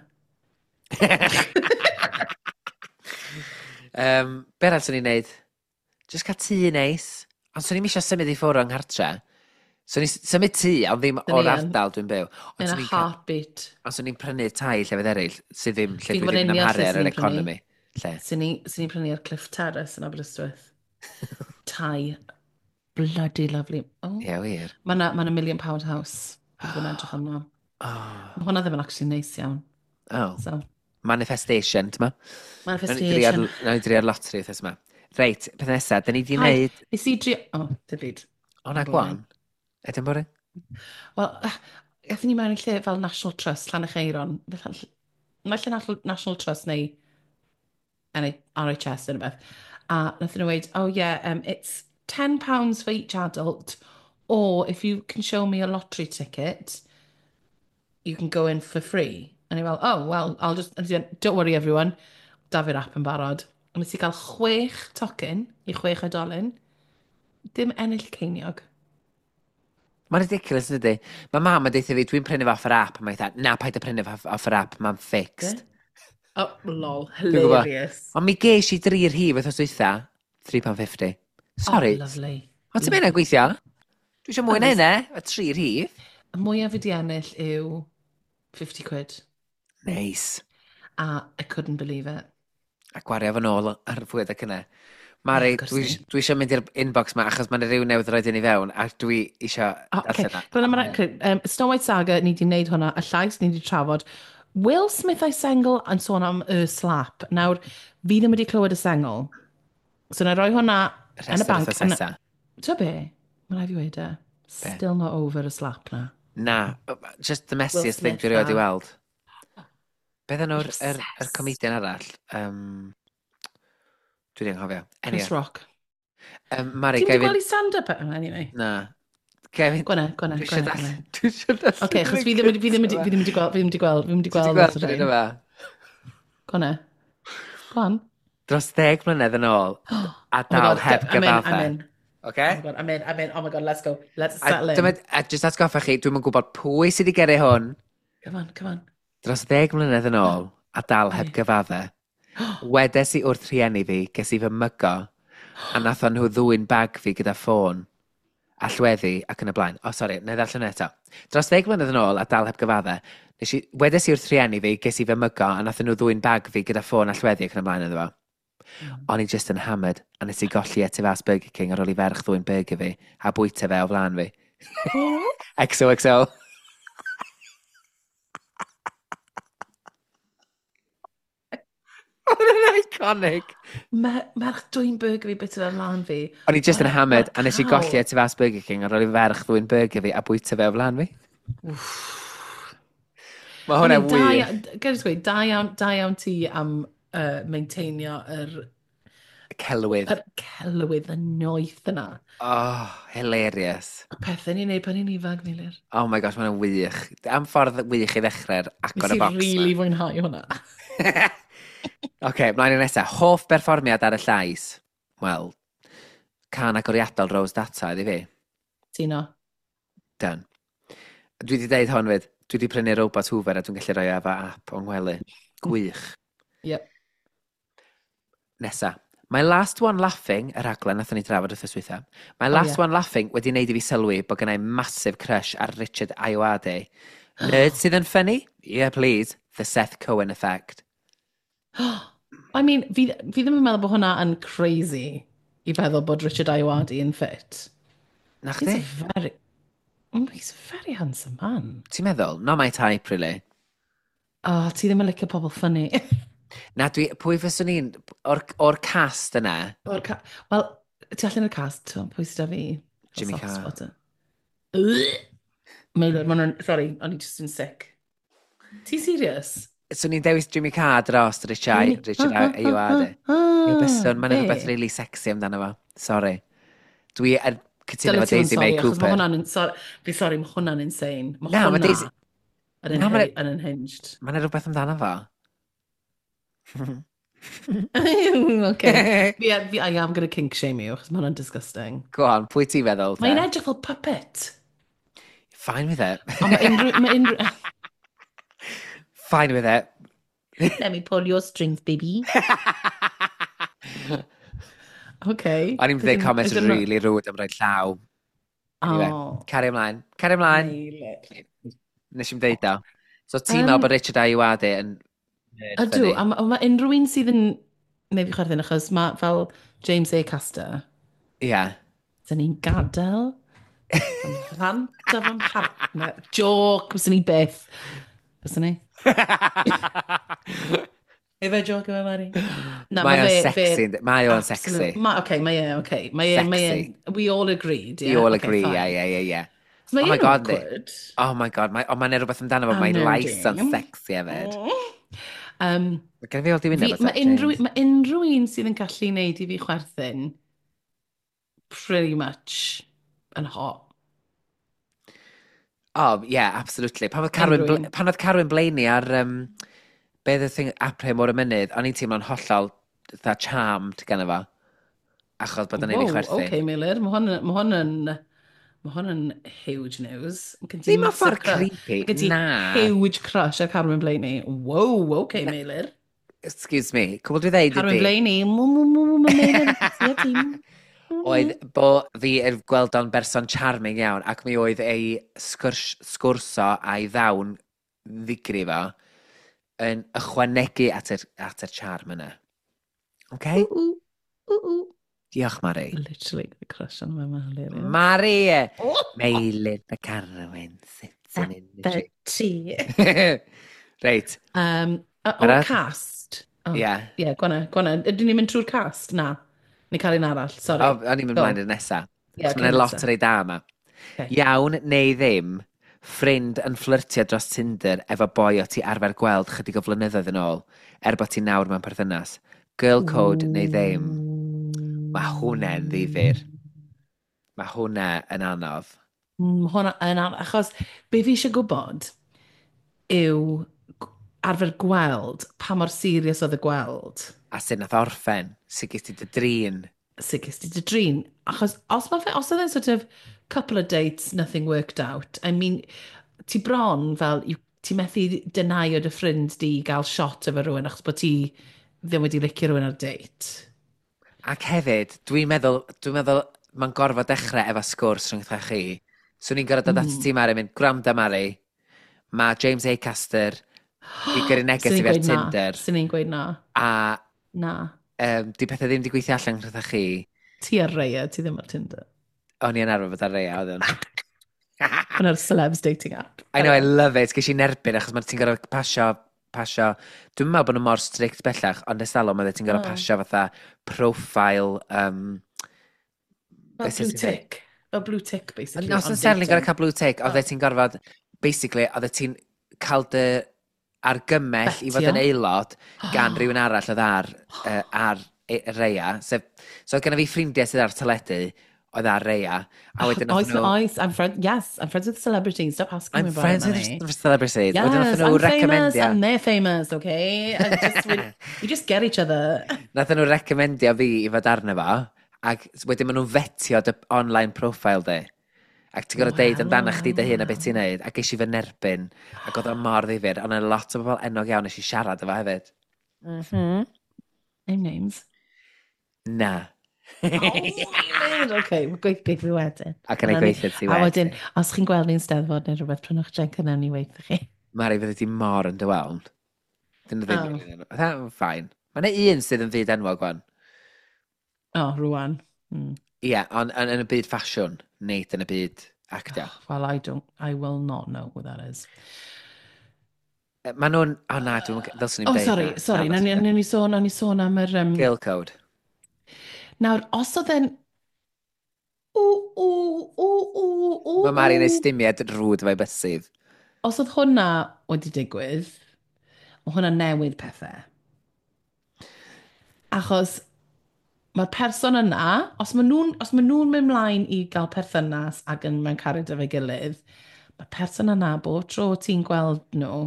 Be arall swn i'n neud? Just cael tŷ neis. Ond swn i'n eisiau symud i ffwrdd o'n nghartre. Swn i'n symud tŷ, ond ddim Swn i o'r yn. ardal dwi'n byw. Ond In a swn i'n cael- heartbeat. Ond swn i'n prynu tai llefydd eraill sydd ddim lle Fi'n dwi gwbod ddim yn union amharu lle ar swn yr i'n prynu. economi. Lle? Sy'n ni prynu ar Cliff Terrace yn Aberystwyth. Tai. Bloody lovely. Oh. Ie, wir. Mae yna ma Million Pound House. Dwi'n bod yn edrych arno. Oh. Mae hwnna ddim yn actually neis iawn. Oh. So, Manifestation, ti'n ma? Manifestation. Nawn ni drio'r lottery wythnos yma. Reit, peth nesaf, da ni di Paid. wneud. Nes i drio. Oh, dim byd. O na, Boring. go on. Ydyn boring? Wel, aethon ni mewn i lle fel National Trust, Llanerchaeron. Mae lle National Trust neu RHS neu rhywbeth. A nathon nhw weud, "Oh yeah, it's £10 for each adult, or if you can show me a lottery ticket, you can go in for free." A ni fel, "Oh, well, I'll just," and he went, "Don't worry everyone, da fi'r app yn barod." A nes i gael chwech tocyn i chwech oedolyn, dim ennill ceiniog. Mae'n ridiculous, ydy? Mae mam yn deutha fi, "Dwi'n prynu fo off yr app." A mae'n dweud, "Na, paid â prynu fo off yr app, mae'n fixed." Oh, lol, Dwi'n gwbod. Hilarious. Ond mi ges i dri rhif wythnos dwytha, £3.50. Sorry. Oh, lovely. Ond ti'n mynd gweithio? Dwi eisiau mwy na hynna, y tri rhif. Y mwyaf fi di ennill yw 50 quid. Nice. A I couldn't believe it. A gwario fo nôl ar fwyd ac yna. Mari, Ie, of course dwi, ni. dwi eisiau mynd i'r inbox ma achos mae'n rhyw newydd roed i ni fewn a dwi eisiau Oh, okay. darllen o. Gwna, Snow White Saga, ni di wneud hwnna, y llais ni di trafod. Will Smith a'i sengl yn sôn am y slap. Nawr, fi ddim wedi clywed y sengl. So na i roi hwnna yn y Rhestr banc. wythnos nesa. Ti'n be? Mae rhaid fi weud e. Still not over y slap na. Na, just the messiest thing Smith dwi erioed i a- weld. Beth enw'r yr Obsessed. comedian arall? Dwi wedi anghofio. Chris Anyway, Rock. Mari, Ti'n gai wedi fynd. gweld i stand-up? E? Anyway. Na. Gai fynd. Gwana, gwana, Dwi eisiau gwana, darllen. gwana. Dwi eisiau darllen. Oce, achos fi ddim wedi gweld, fi ddim wedi gweld, fi ddim wedi Ti wedi gweld gweld lot o yr un rhain. yma? Gwana. Go on. Dros 10 mlynedd yn ôl, a Oh my dal God, heb I'm in, I'm gyfadde. in. Oce? Oh my God, I'm in, I'm in. Oh my God, let's go. Let's A, settle in. dyma, a just atgoffa chi, dwi'n yn gwybod pwy sydd wedi gyrru hwn. Come on, come on. Dros 10 mlynedd yn ôl, a dal heb gyfadde. Wedes i wrth rhieni fi, ges i fy mygo, a nathon nhw ddwyn bag fi gyda ffôn, allweddi ac yn y blaen. O, oh, sori, na i ddarllen eto. Dros 10 mlynedd yn ôl, a dal heb gyfadde, wedes i wrth rhieni fi, ges i fy mygo, a nathon nhw ddwyn bag fi gyda ffôn allweddi ac yn y blaen iddo fo. O'n i just yn hammered, a nes i golli e tu fas Burger King ar ôl i ferch ddwyn burger fi, a bwyta fe o flaen fi. XOXO. Oedd yn iconic. Merch dwyn burger fi bit o flaen fi. O'n i just yn What a- hammered, what a nes i cow. golli e tu fas Burger King ar ôl i ferch ddwyn burger fi a bwyta fe o flaen fi. Mae hwnna I mean, da wir. Gael i gweud, da iawn, da iawn ti am maintainio Celwydd. yr celwydd y noeth yna. Oh, hilarious. Y pethau ni'n neud pan ni'n ifanc, Meilir. Oh my gosh, mae'n wych. Am ffordd wych i ddechrau'r agor Nes y i box. really fwynhau hwnna. Oce, mlaen i nesaf. Hoff berfformiad ar y llais? Wel, cân agoriadol Rose Data iddi fi. Tino. Done. Dwi wedi deud hon fyd. Dwi wedi prynu robot Hoover a dwi'n gallu rhoi efo app o'n ngwely. Gwych. Yep. Nesa. Mae Last One Laughing, y raglen nathon ni drafod wrth dwytha. Mae Oh, Last ie. One Laughing wedi wneud i fi sylwi bod gennai massive crush ar Richard Ayoade. Nerd sydd yn funny? Yeah, please. The Seth Cohen effect. I mean, fi ddim yn meddwl bod hwnna yn crazy i feddwl bod Richard Ayoade yn fit. Na He's chdi? a very handsome man. Ti'n meddwl? Not my type, really. Oh, ti ddim yn licio pobl funny. Na, dwi, pwy fyswn i'n... O'r cast yna, Wel, ti allan o'r cast, ti'n pwy sydd â fi? Jimmy Soft Carr. spot. Ugh. Meilir, ma' hwnna'n... Sorry, o'n i just yn sick. Ti serious? Swn i'n dewis Jimmy Carr dros Richard, Richard Ayoade. Ie, byswn, mae'n rhywbeth really sexy amdano fo. Sorry. Dwi yn cytuno efo Daisy May Cooper. Mae hwnna'n... Fi sorry, mae hwnna'n insane. Mae Na, hwnna mae Daisy... yn, Na, ma' yn unhinged. Mae'n rhywbeth amdano fo. Okay. Fi, I am gonna kink shame you, achos mae hwnna'n disgusting. Go on, pwy ti'n feddwl te? Mae'n edrych fel puppet. Fine with it. Ond mae unrhyw... Mae unrhyw... Fine with it. Let me pull your strings, baby. Okay. O'n i'n dweud comment really rude am rhoi llaw. Anyway, Oh, Cario ymlaen. Cario ymlaen. Meilir. Nes i'm deud o. So ti'n meddwl bod Richard Ayoade yn nerd Ydw, funny? a ma' unrhyw un sydd yn neud fi chwerthin, achos mae fel James Acaster, Ie. Yeah. Dyn ni'n gadael fy mhlant a fy mhartner. Joke, byswn ni byth. Byswn ni? Efe joke yma, Mari? Na, Mae o'n ma' sexy. Yndi? Mae o'n sexy. Okay, mae e, okay. Mae e, mae e, Sexy. we all agreed, yeah? You all Okay, agree, fine. yeah. So mae Oh my e'n God, awkward. Oh my God, mae, oh, mae'n rhywbeth amdano fo, A mae'n nerdy. lais o'n sexy hefyd. Mae gen i fi old i wyneb Mae unrhyw, ma unrhyw un sydd yn gallu wneud i fi chwerthin pretty much yn hot. Oh, yeah, absolutely. Pan oedd Carwyn, Unrhyw un. Pan oedd Carwyn Blaney ar, be oedd y thing, Apre Môr y Mynydd, o'n i'n teimlo'n hollol fatha charmed gan fo. Achos bod o'n ei fi Wow, chwerthin. okay, Meilir, mae hwn, ma hwn yn... Mae hwn yn huge news. Mae gen ti Ddim mewn massive ffordd crush. creepy, Mae gen ti na. huge crush ar Carwyn Blaney. Wow, okay, Na. Meilir. Excuse me, cwbl dwi ddeud Carwyn ydi, Blaney, mw, mw, mw, mw, Meilir, ti a ti. oedd bo fi yn gweld o'n berson charming iawn, ac mi oedd ei sgwrso a'i ddawn ddigri fo yn ychwanegu at yr charm yna. Okay? Ooh, ooh, ooh. Diolch, Mari. Literally got a crush on my man, hilarious. Mari! Meilir the Carwyn sitting in the tree. Ti. Reit, O'r Barod? cast. Oh, ie. Yeah, gwana, gwana. Ydyn ni'n mynd trwy'r cast? Na. Ni cael un arall, sorry. O, o'n i'n mynd Go. mlaen i'r nesa. Ie, Yeah, Mae'n okay, lot nesa. o rei da yma. Okay. Iawn neu ddim, ffrind yn fflyrtio dros Tinder efo boi o ti arfer gweld chydig o flynyddoedd yn ôl, er bod ti nawr mewn perthynas. Girl code neu ddim. Mae hwnna'n ddifyr. Mae hwnna yn anodd. Hwnna yn anodd, achos be fi eisiau gwybod yw arfer gweld pa mor serious oedd y gweld. A sut nath orffen, sut ges ti dy drin. Sut ges ti dy drin. Achos os, ma fe, os oedd e'n sort of couple of dates, nothing worked out, I mean, ti bron fel, ti methu deny o dy ffrind di gael shot efo rhywun achos bod ti ddim wedi licio rhywun ar date. Ac hefyd, dwi'n meddwl mae'n gorfod dechrau efo sgwrs rhwngtha chi. Swn i'n gorfod dod at ti, Mari, mynd, "Gwranda, Mari, mae James Acaster di gyrru neges Swn i i'n fi ar gweud na. Tinder, Swn i'n gweud na. a Na. di pethau ddim di gweithio allan rhwngtha chi." Ti ar Raya, ti ddim ar Tinder. O'n i yn arfer bod ar Raya, oedd o'n. Hwnna'r celebs dating app. I know, I love it. Ges i'n erbyn achos mae ti'n gorfod pasio. Dwi'n meddwl bod nhw mor strict bellach, ond ers talwm oedd ti'n gorfod pasio fatha profile. Fel Beth blue sy'n dweud? tick. Fel blue tick, basically. Ond os on yn serling gorfod dating. cael blue tick, oedd Oh. ti'n gorfod, basically, oedd ti'n cael dy argymell i fod Fetio. yn aelod gan rhywun arall oedd ar Raya. Sef, so oedd genna fi ffrindiau sydd ar teledu, oedd ar Raya, a wedyn Oes, nath nhw... oes, I'm friend, yes, I'm friends with celebrities. Stop asking I'm me about friends it, with Manny. celebrities. Wedyn Yes, nath nhw I'm famous recomendio... and they're famous, okay? And just, we just get each other. Nath nhw recomendio fi i fod arno fo, ac wedyn maen nhw'n fetio dy online profile di. Ac ti'n gorfod deud amdano chdi dy hun a beth ti'n neud, a ges i fy nerbyn, ac oedd o mor ddifyr, ond yna lot o bobl enwog iawn nes i siarad efo hefyd. Name names. Na. Oh, okay, mae gweithio fi wedyn. Ac yn ei Nawn ni- gweithio ti A wedyn, wedyn. os chi'n gweld ni'n steddfod neu rhywbeth, prynwch jenc yna ni weithio chi. Mari, fydde ti mor yn dy weld. Dyn nhw ddim Oh. rili enwog. Fine. Mae yna un sydd yn fyd enwog wan. Oh, rwan. Ie, yeah, ond yn y byd ffasiwn, nid yn y byd actio. Well, I don't, I will not know who that is. Mae nhw'n... O na, dwi'n... Ddylswn i'n Oh, deud sorry, na. sorry. Na, Nawn ni sôn am yr... Girl code. Nawr, os oedd e'n... Ww, ww, ww, ww, ww, Mae Mari'n ww. estymiad rwd efo'i bysydd. Os oedd hwnna wedi digwydd, mae hwnna'n newid pethau. Achos mae'r person yna, os maen nhw'n mynd mlaen i gael perthynas ac yn mewn cariad efo'i gilydd, mae'r person yna, bob tro ti'n gweld nhw,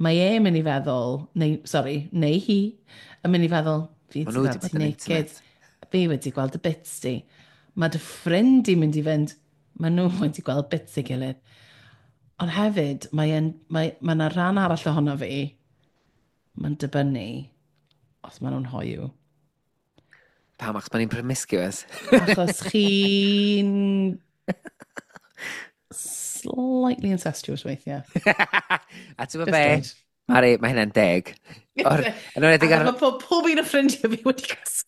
mae e'n mynd i feddwl, neu, sorry, neu hi, yn mynd i feddwl, fi Maen wedi nhw wedi gweld bod ti yn naked, intimate. Fi wedi gweld y bits di. Mae dy ffrind i'n mynd i fynd, maen nhw wedi gweld bits ei gilydd. Ond hefyd, mae yna rhan arall ohono fi, mae'n dibynnu os maen nhw'n hoyw. Pam, achos maen ni'n promiscuous. Achos chi'n slightly incestuous weithiau. A ti'n gwybod Just be? dweud. Mari, mae hynna'n deg. Yn enwedig ar Mae pob un o ffrindiau fi wedi cysgu.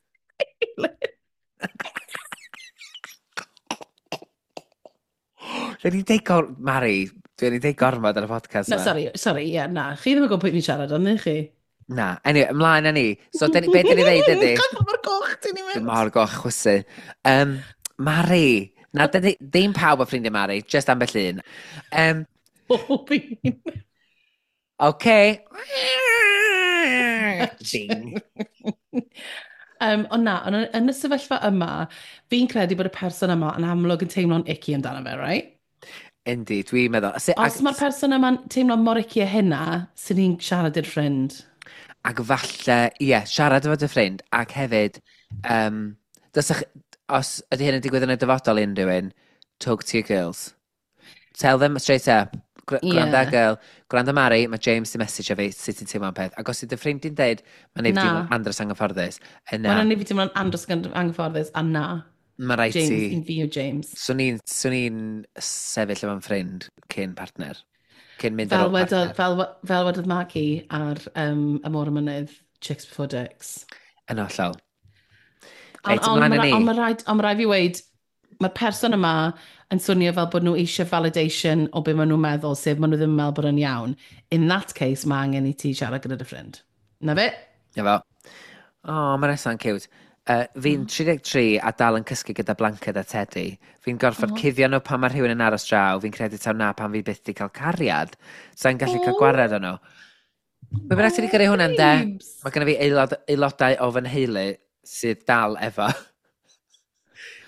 Dwi'n ni'n deud gor... Mari, dwi'n ni'n deud gormod ar y podcast Na, yma. sorry, sorry, ie, yeah, na. Chi ddim yn gwybod pwy fi'n siarad, ond chi? Na. Anyway, ymlaen â ni. So, be dyn ni ddeud ydy? Gwybod mor goch ti'n i Dwi'n mynd. mor goch chwysu. Mari. Na, ddim pawb o ffrindiau Mari, just ambell un. Pob un. Okay. Ding. Ond na, ond yn y sefyllfa yma, fi'n credu bod y person yma yn amlwg yn teimlo'n icky amdano fe, right? Yndi, dwi'n meddwl. Os mae'r person yma'n teimlo mor icky â hynna, sy'n ni'n siarad i'r ffrind. Ac falle, ie, yeah, siarad efo dy ffrind, ac hefyd, dysach, os ydy hyn yn digwydd yn y dyfodol i unrhyw un, talk to your girls. Tell them straight up. Gwranda, girl. Gwranda Mari, mae James di message fi sut ti'n teimlo am peth. Ac os ydy dy ffrind di'n deud, mae'n neud fi Na. teimlo'n andros anghyfforddus. Yna, Mae'n neud fi teimlo'n andros anghyfforddus, a na. Mae rhaid James, ti. Un fi yw James. Swn i'n sefyll efo'n ffrind cyn partner. Cyn mynd ar Fel ôl wedodd, partner. fel wedodd Maggie ar Y Môr y Mynydd, Chicks Before Dicks. Yn hollol. Ond Reit, on, ymlaen â ma' ni. on, ma' rhaid, ond ma' raid fi weud, mae'r person yma yn swnio fel bod nhw eisiau validation o be maen nhw'n meddwl, sef maen nhw ddim yn meddwl bod yn iawn. In that case, mae angen i ti siarad gyda dy ffrind. Na fe? Na fo. O, oh, mae nesa'n cute. Fi'n 33 a dal yn cysgu gyda blanced a teddy. Fi'n gorfod cuddio nhw pan mae rhywun yn aros draw. Fi'n credu taw na pan fi byth di cael cariad. Sa'n gallu cael gwared o nhw. Be bynnag ti wedi gyrru hwnna, ynde? Babes. Mae genna fi aelodau o fy nheulu sydd dal efo.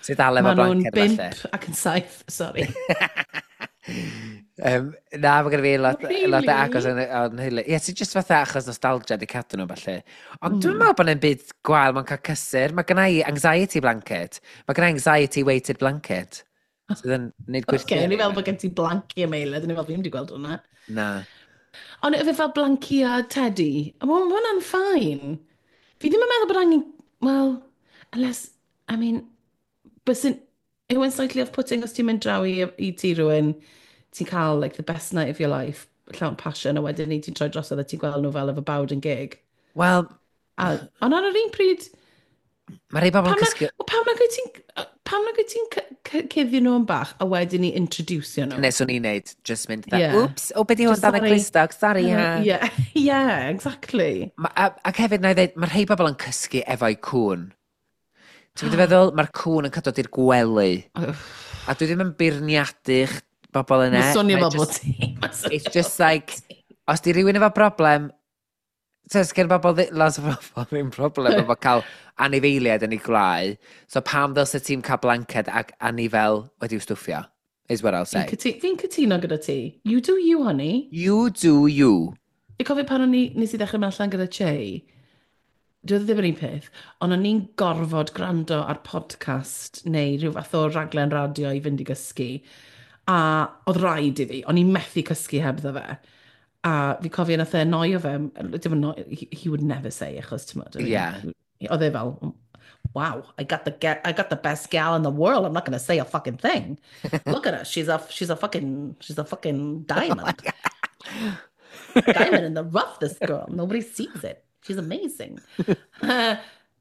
Sydd dal efo Maen nhw'n blanced falle. 5 ac yn 7, sorry. Na, mae genna fi Really? aelodau agos yn nheulu. Ie, ti'n just fatha achos nostalgia di cadw nhw falle. Ond dwi'n meddwl bod e'n byd gwael mewn cael cysur. Mae genna i anxiety blanket. Mae genna i anxiety weighted blanket. Sydd yn neud Oce, gwirthio. o'n i fel bod gen ti blanci am eilad, o'n i fel fi ddim wedi gweld hwnna. Na. Ond efe fel blanci a teddy, a ma' hwnna'n fine. Fi ddim yn meddwl bod angen, well, unless, I mean, bysyn, yw e'n slightly off-putting os ti'n mynd draw i tŷ rhywun, ti'n cael like, the best night of your life, llawn passion, a wedyn ni ti'n troi drosodd a ti'n gweld nhw fel efo bawd yn gig. Wel, Ond ar yr un pryd, mae rhai bobl yn pam na, cysgu. wel, pam nag wyt ti'n cuddio nhw yn bach a wedyn ni introducio nhw? Neu swn i'n neud, just mynd, fatha, Ie. Oops, o, be di hwn Just dan y sorry. clustog, sorry, ha. Yeah, yeah, exactly. Ac hefyd, na i ddeud, mae rhai bobl yn cysgu efo'i cŵn. Ti'n mynd i feddwl, mae'r cŵn yn cael dod i'r gwely. A dwi ddim yn beirniadu'ch bobl yna. Mae'n swnio Mae fel bod just- ti. Mae'n swnio It's just fel bod like, ti. os di rhywun efo broblem, so gen bobl, lot o bobl ddim problem efo cael anifeiliaid yn ei gwlau. So pam ddylse ti'n cael blanced ac anifel wedi'w stwffio? Is what I'll Fi'n say. Fi'n cytuno gyda ti. You do you, honey. You do you. Fi'n cofio pan o'n i, nes i ddechrau mynd allan gyda Che, dwi ddim yr un peth, ond o'n i'n gorfod gwrando ar podcast neu rhyw fath o raglen radio i fynd i gysgu. A oedd rhaid i fi, o'n i'n methu cysgu hebddo fe. A fi cofio nath e annoio fe, dim annoio, he would never say, achos ti'n I mean, oedd e fel, wow, I got the best gal in the world. I'm not going to say a fucking thing. Look at her. She's a fucking diamond. Diamond in the rough, this girl. Nobody sees it. She's amazing. A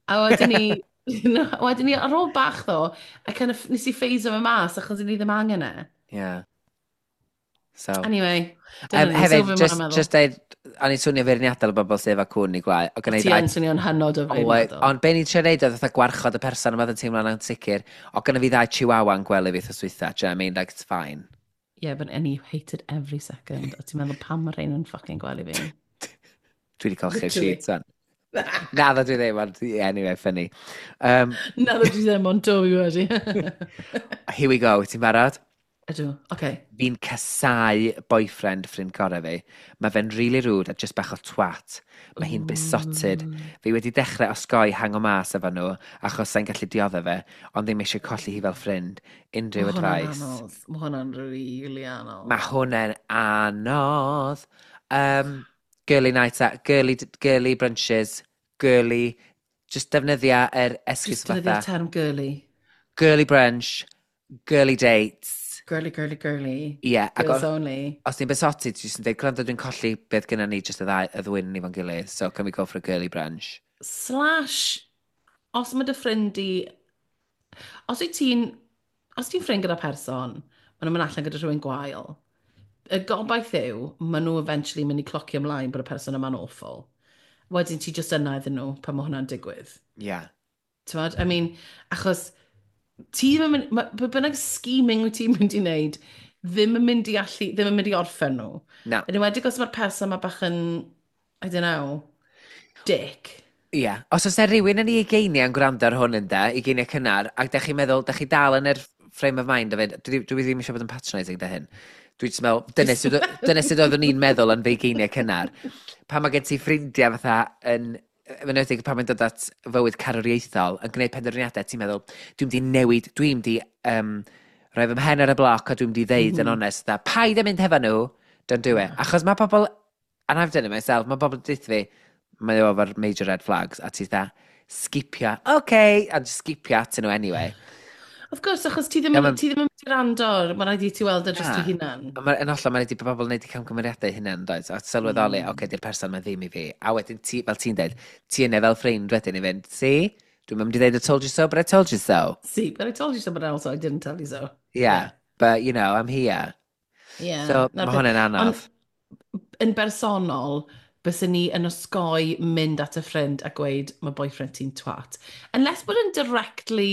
wedyn ni, no, wedyn ni ar ôl bach ddo, I kind of, nes i phase-o fe mas achos o'n i ddim angen e. Yeah. So. Anyway, dyna ni. Hefyd, so fi just, mor meddwl. Just deud, o'n i'n swnio feirniadol o bobl sydd efo cwn i gwlau. O Ti yn swnio'n hynod o Oedd, feirniadol. ond be ni'n trio neud oedd fatha gwarchod y person yma oedd yn teimlo'n ansicr. O gynna fi ddau chihuahua yn gwely fi wythnos dwytha. Do you know what I mean? Like, it's fine. Yeah, but and you hated every second. A ti'n meddwl pam mae rhain yn fucking gwely fi. Dwi wedi colchi'r Literally. sheets on. Na, ddo dwi ddim, ond yeah, anyway, funny. Na, dwi ddim, ond do fi wedi. Here we go, ti'n barod? Ydw, oce. Fi'n casau boyfriend ffrind gorau fi. Mae fe'n really rude a just bach o twat. Mae hi'n besotted. Fi wedi dechrau osgoi hango mas efo nhw, achos sa'n gallu dioddef fe, ond ddim eisiau colli hi fel ffrind. Unrhyw Mae hwnna'n advice? anodd. Mae hwnna'n really anodd. Mae hwnna'n anodd. Girly nights out, girly, girly brunches, girly, just defnyddia yr esgus Just defnyddio'r fatha. term girly. Girly brunch, girly dates. Girly, girly, girly. Ie, yeah, ac Girls os, only. os ti'n besotted, ti'n jyst yn dweud, gwrando, dwi'n colli beth gyda ni, just y ddau, y ddwyn ni fo'n gilydd, so can we go for a girly brunch? Slash, os mae dy ffrind i... Os ti'n ffrind gyda person, maen nhw'n mynd allan gyda rhywun gwael, y gobaith yw, maen nhw eventually mynd i clocio ymlaen bod y person yma'n awful. Wedyn ti just yna iddyn nhw pan mae hwnna'n digwydd. Yeah. T'mod? I mean, achos ti ddim yn mynd, be bynnag scheming wyt ti'n mynd i wneud, ddim yn mynd i allu, ddim yn mynd i orffen nhw. Na. Yn enwedig os mae'r person yma bach yn, I don't know, dick. Ie. Yeah. Os oes 'na rhywun yn ei ugeiniau yn gwrando ar hwn ynde, ugeiniau cynnar, ac da chi'n meddwl, da chi dal yn yr frame of mind o fynd, dwi ddim eisiau bod yn patronising da hyn. Dwi jyst meddwl, dyna sut oeddwn i'n meddwl yn fy ugeiniau cynnar. Pan mae gen ti ffrindiau fatha yn, yn enwedig pan mae'n dod at fywyd carwriaethol, yn gwneud penderfyniadau, ti'n meddwl, dwi'n mynd i newid, dwi'n mynd i rhoi fy mhen ar y bloc a dwi'n mynd i ddeud yn onest, dda, paid â mynd hefo nhw, don't do it. Achos mae pobl, and I've done it myself, mae pobl yn fi, mae o efo'r major red flags, a ti dda, skipio, okay, a just skipio atyn nhw anyway. Of course, achos ti ddim, Ie, ti ddim yn mynd i rando, mae rhaid i ti weld e dros Na. dy hunan. Ond yn hollol, mae'n rhaid i bobl wneud i camgymeriadau hunain, does? A sylweddoli, oce, okay, di'r person mae ddim i fi. A wedyn, ti, fel ti'n dweud, ti yna fel ffrind wedyn i fynd, see? Dwi'n mynd i dweud I told you so, but I told you so. See, but I told you so, but also I didn't tell you so. Yeah, but, you know, I'm here. Yeah. So, na'r mae peth. hwnna'n anodd. Ond yn bersonol, byswn ni yn osgoi mynd at y ffrind a gweud mae boyfriend ti'n twat. Unless bod yn directly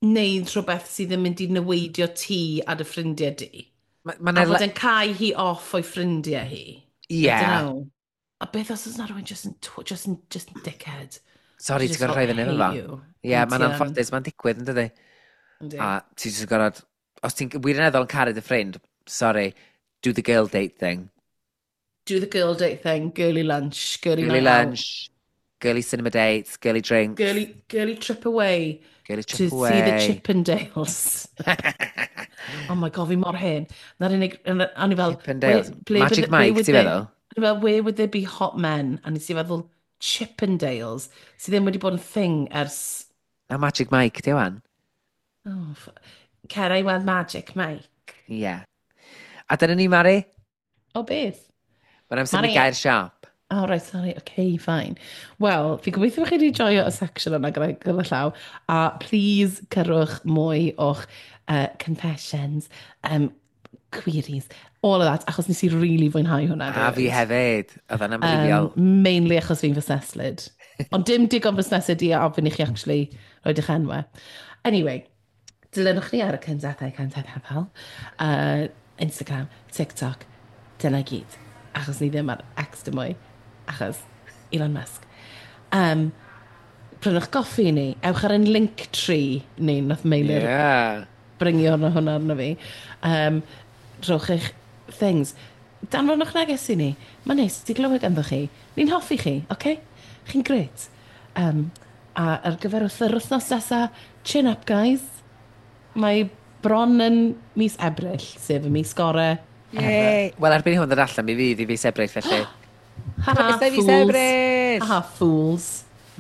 neud rhywbeth sydd yn mynd i neweidio ti a dy ffrindiau di. Ma A fod yn cau hi off o'i ffrindiau hi. I don't know. A beth os oes na rhywun just yn, just yn dickhead? Sorry, ti'n Just gorfod rhoi fyny efo hate fo. you. Ie, yeah, Ond mae'n ti yn. anffodus, mae'n digwydd, yn dydi? Yndi. A ti jyst yn gorfod, os ti'n wirioneddol yn caru dy ffrind, sorry, do the girl date thing. Do the girl date thing, girly lunch, girly, Girly night out. lunch, girly cinema dates, girly drinks, Girly trip away girly trip to away. see the Chippendales. Oh my God, fi mor hen. Na'r unig, o'n i fel... Chippendales. ble Magic where Mike, would ti'n feddwl? O'n i fel, where would there be hot men? A nes i feddwl Chippendales, sydd ddim wedi bod yn thing ers... Na Magic Mike, di wan? Oh, cer i weld Magic Mike. Ie. Yeah. A dyna ni, Mari. O, beth? Mae'n amser i Mari. gau'r siop. Oh, right, sorry. Okay, fine. Wel, fi gobeithio bod chi wedi joio y section yna gyda llaw. A please cyrwch mwy o'ch confessions, queries, all of that, achos nes i really fwynhau hwnna. A fi hefyd. Oedd o'n amrywiol. Mainly achos fi'n fusneslyd. Ond dim digon fusneslyd i ofyn i chi actually roed eich enwau. Anyway, dilynwch ni ar y cyntathau cyntathau, Instagram, TikTok, dyna gyd. Achos ni ddim ar X dim mwy. Achos Elon Musk. Prynwch goffi i ni. Ewch ar ein Linktree ni, nath Meilir bringio hwnna arno fi. Rhowch eich things. Danfonwch neges i ni. Mae'n neis i glywed ganddo chi. Ni'n hoffi chi, oce? Okay? Chi'n gret. A ar gyfer wrth yr wythnos nesa, chin up, guys. Mae bron yn mis Ebrill, sef y mis gore ever. Yay! Wel, erbyn i hwn ddod allan, mi fydd i fis Ebrill, felly. Ha ha, Croeso i fis fools. Ebrill! Ha ha, fools.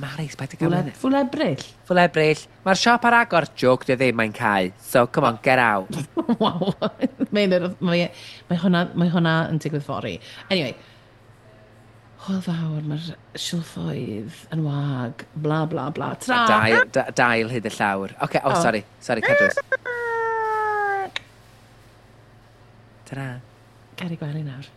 Mari, paid â gael hynny. Ffwl Ebrill. Ffwl Ebrill. Mae'r siop ar agor. Joke, di o ddim, mae'n cau. So, come on, get out. Waw. Mae hwnna yn digwydd fory. Anyway, hwyl fawr, mae'r silffoedd yn wag, bla bla bla. Tra! Dail hyd y llawr. Oce, oh, Oh. sorry. Sorry, cadws. Ta-ra. Cer i gwely nawr.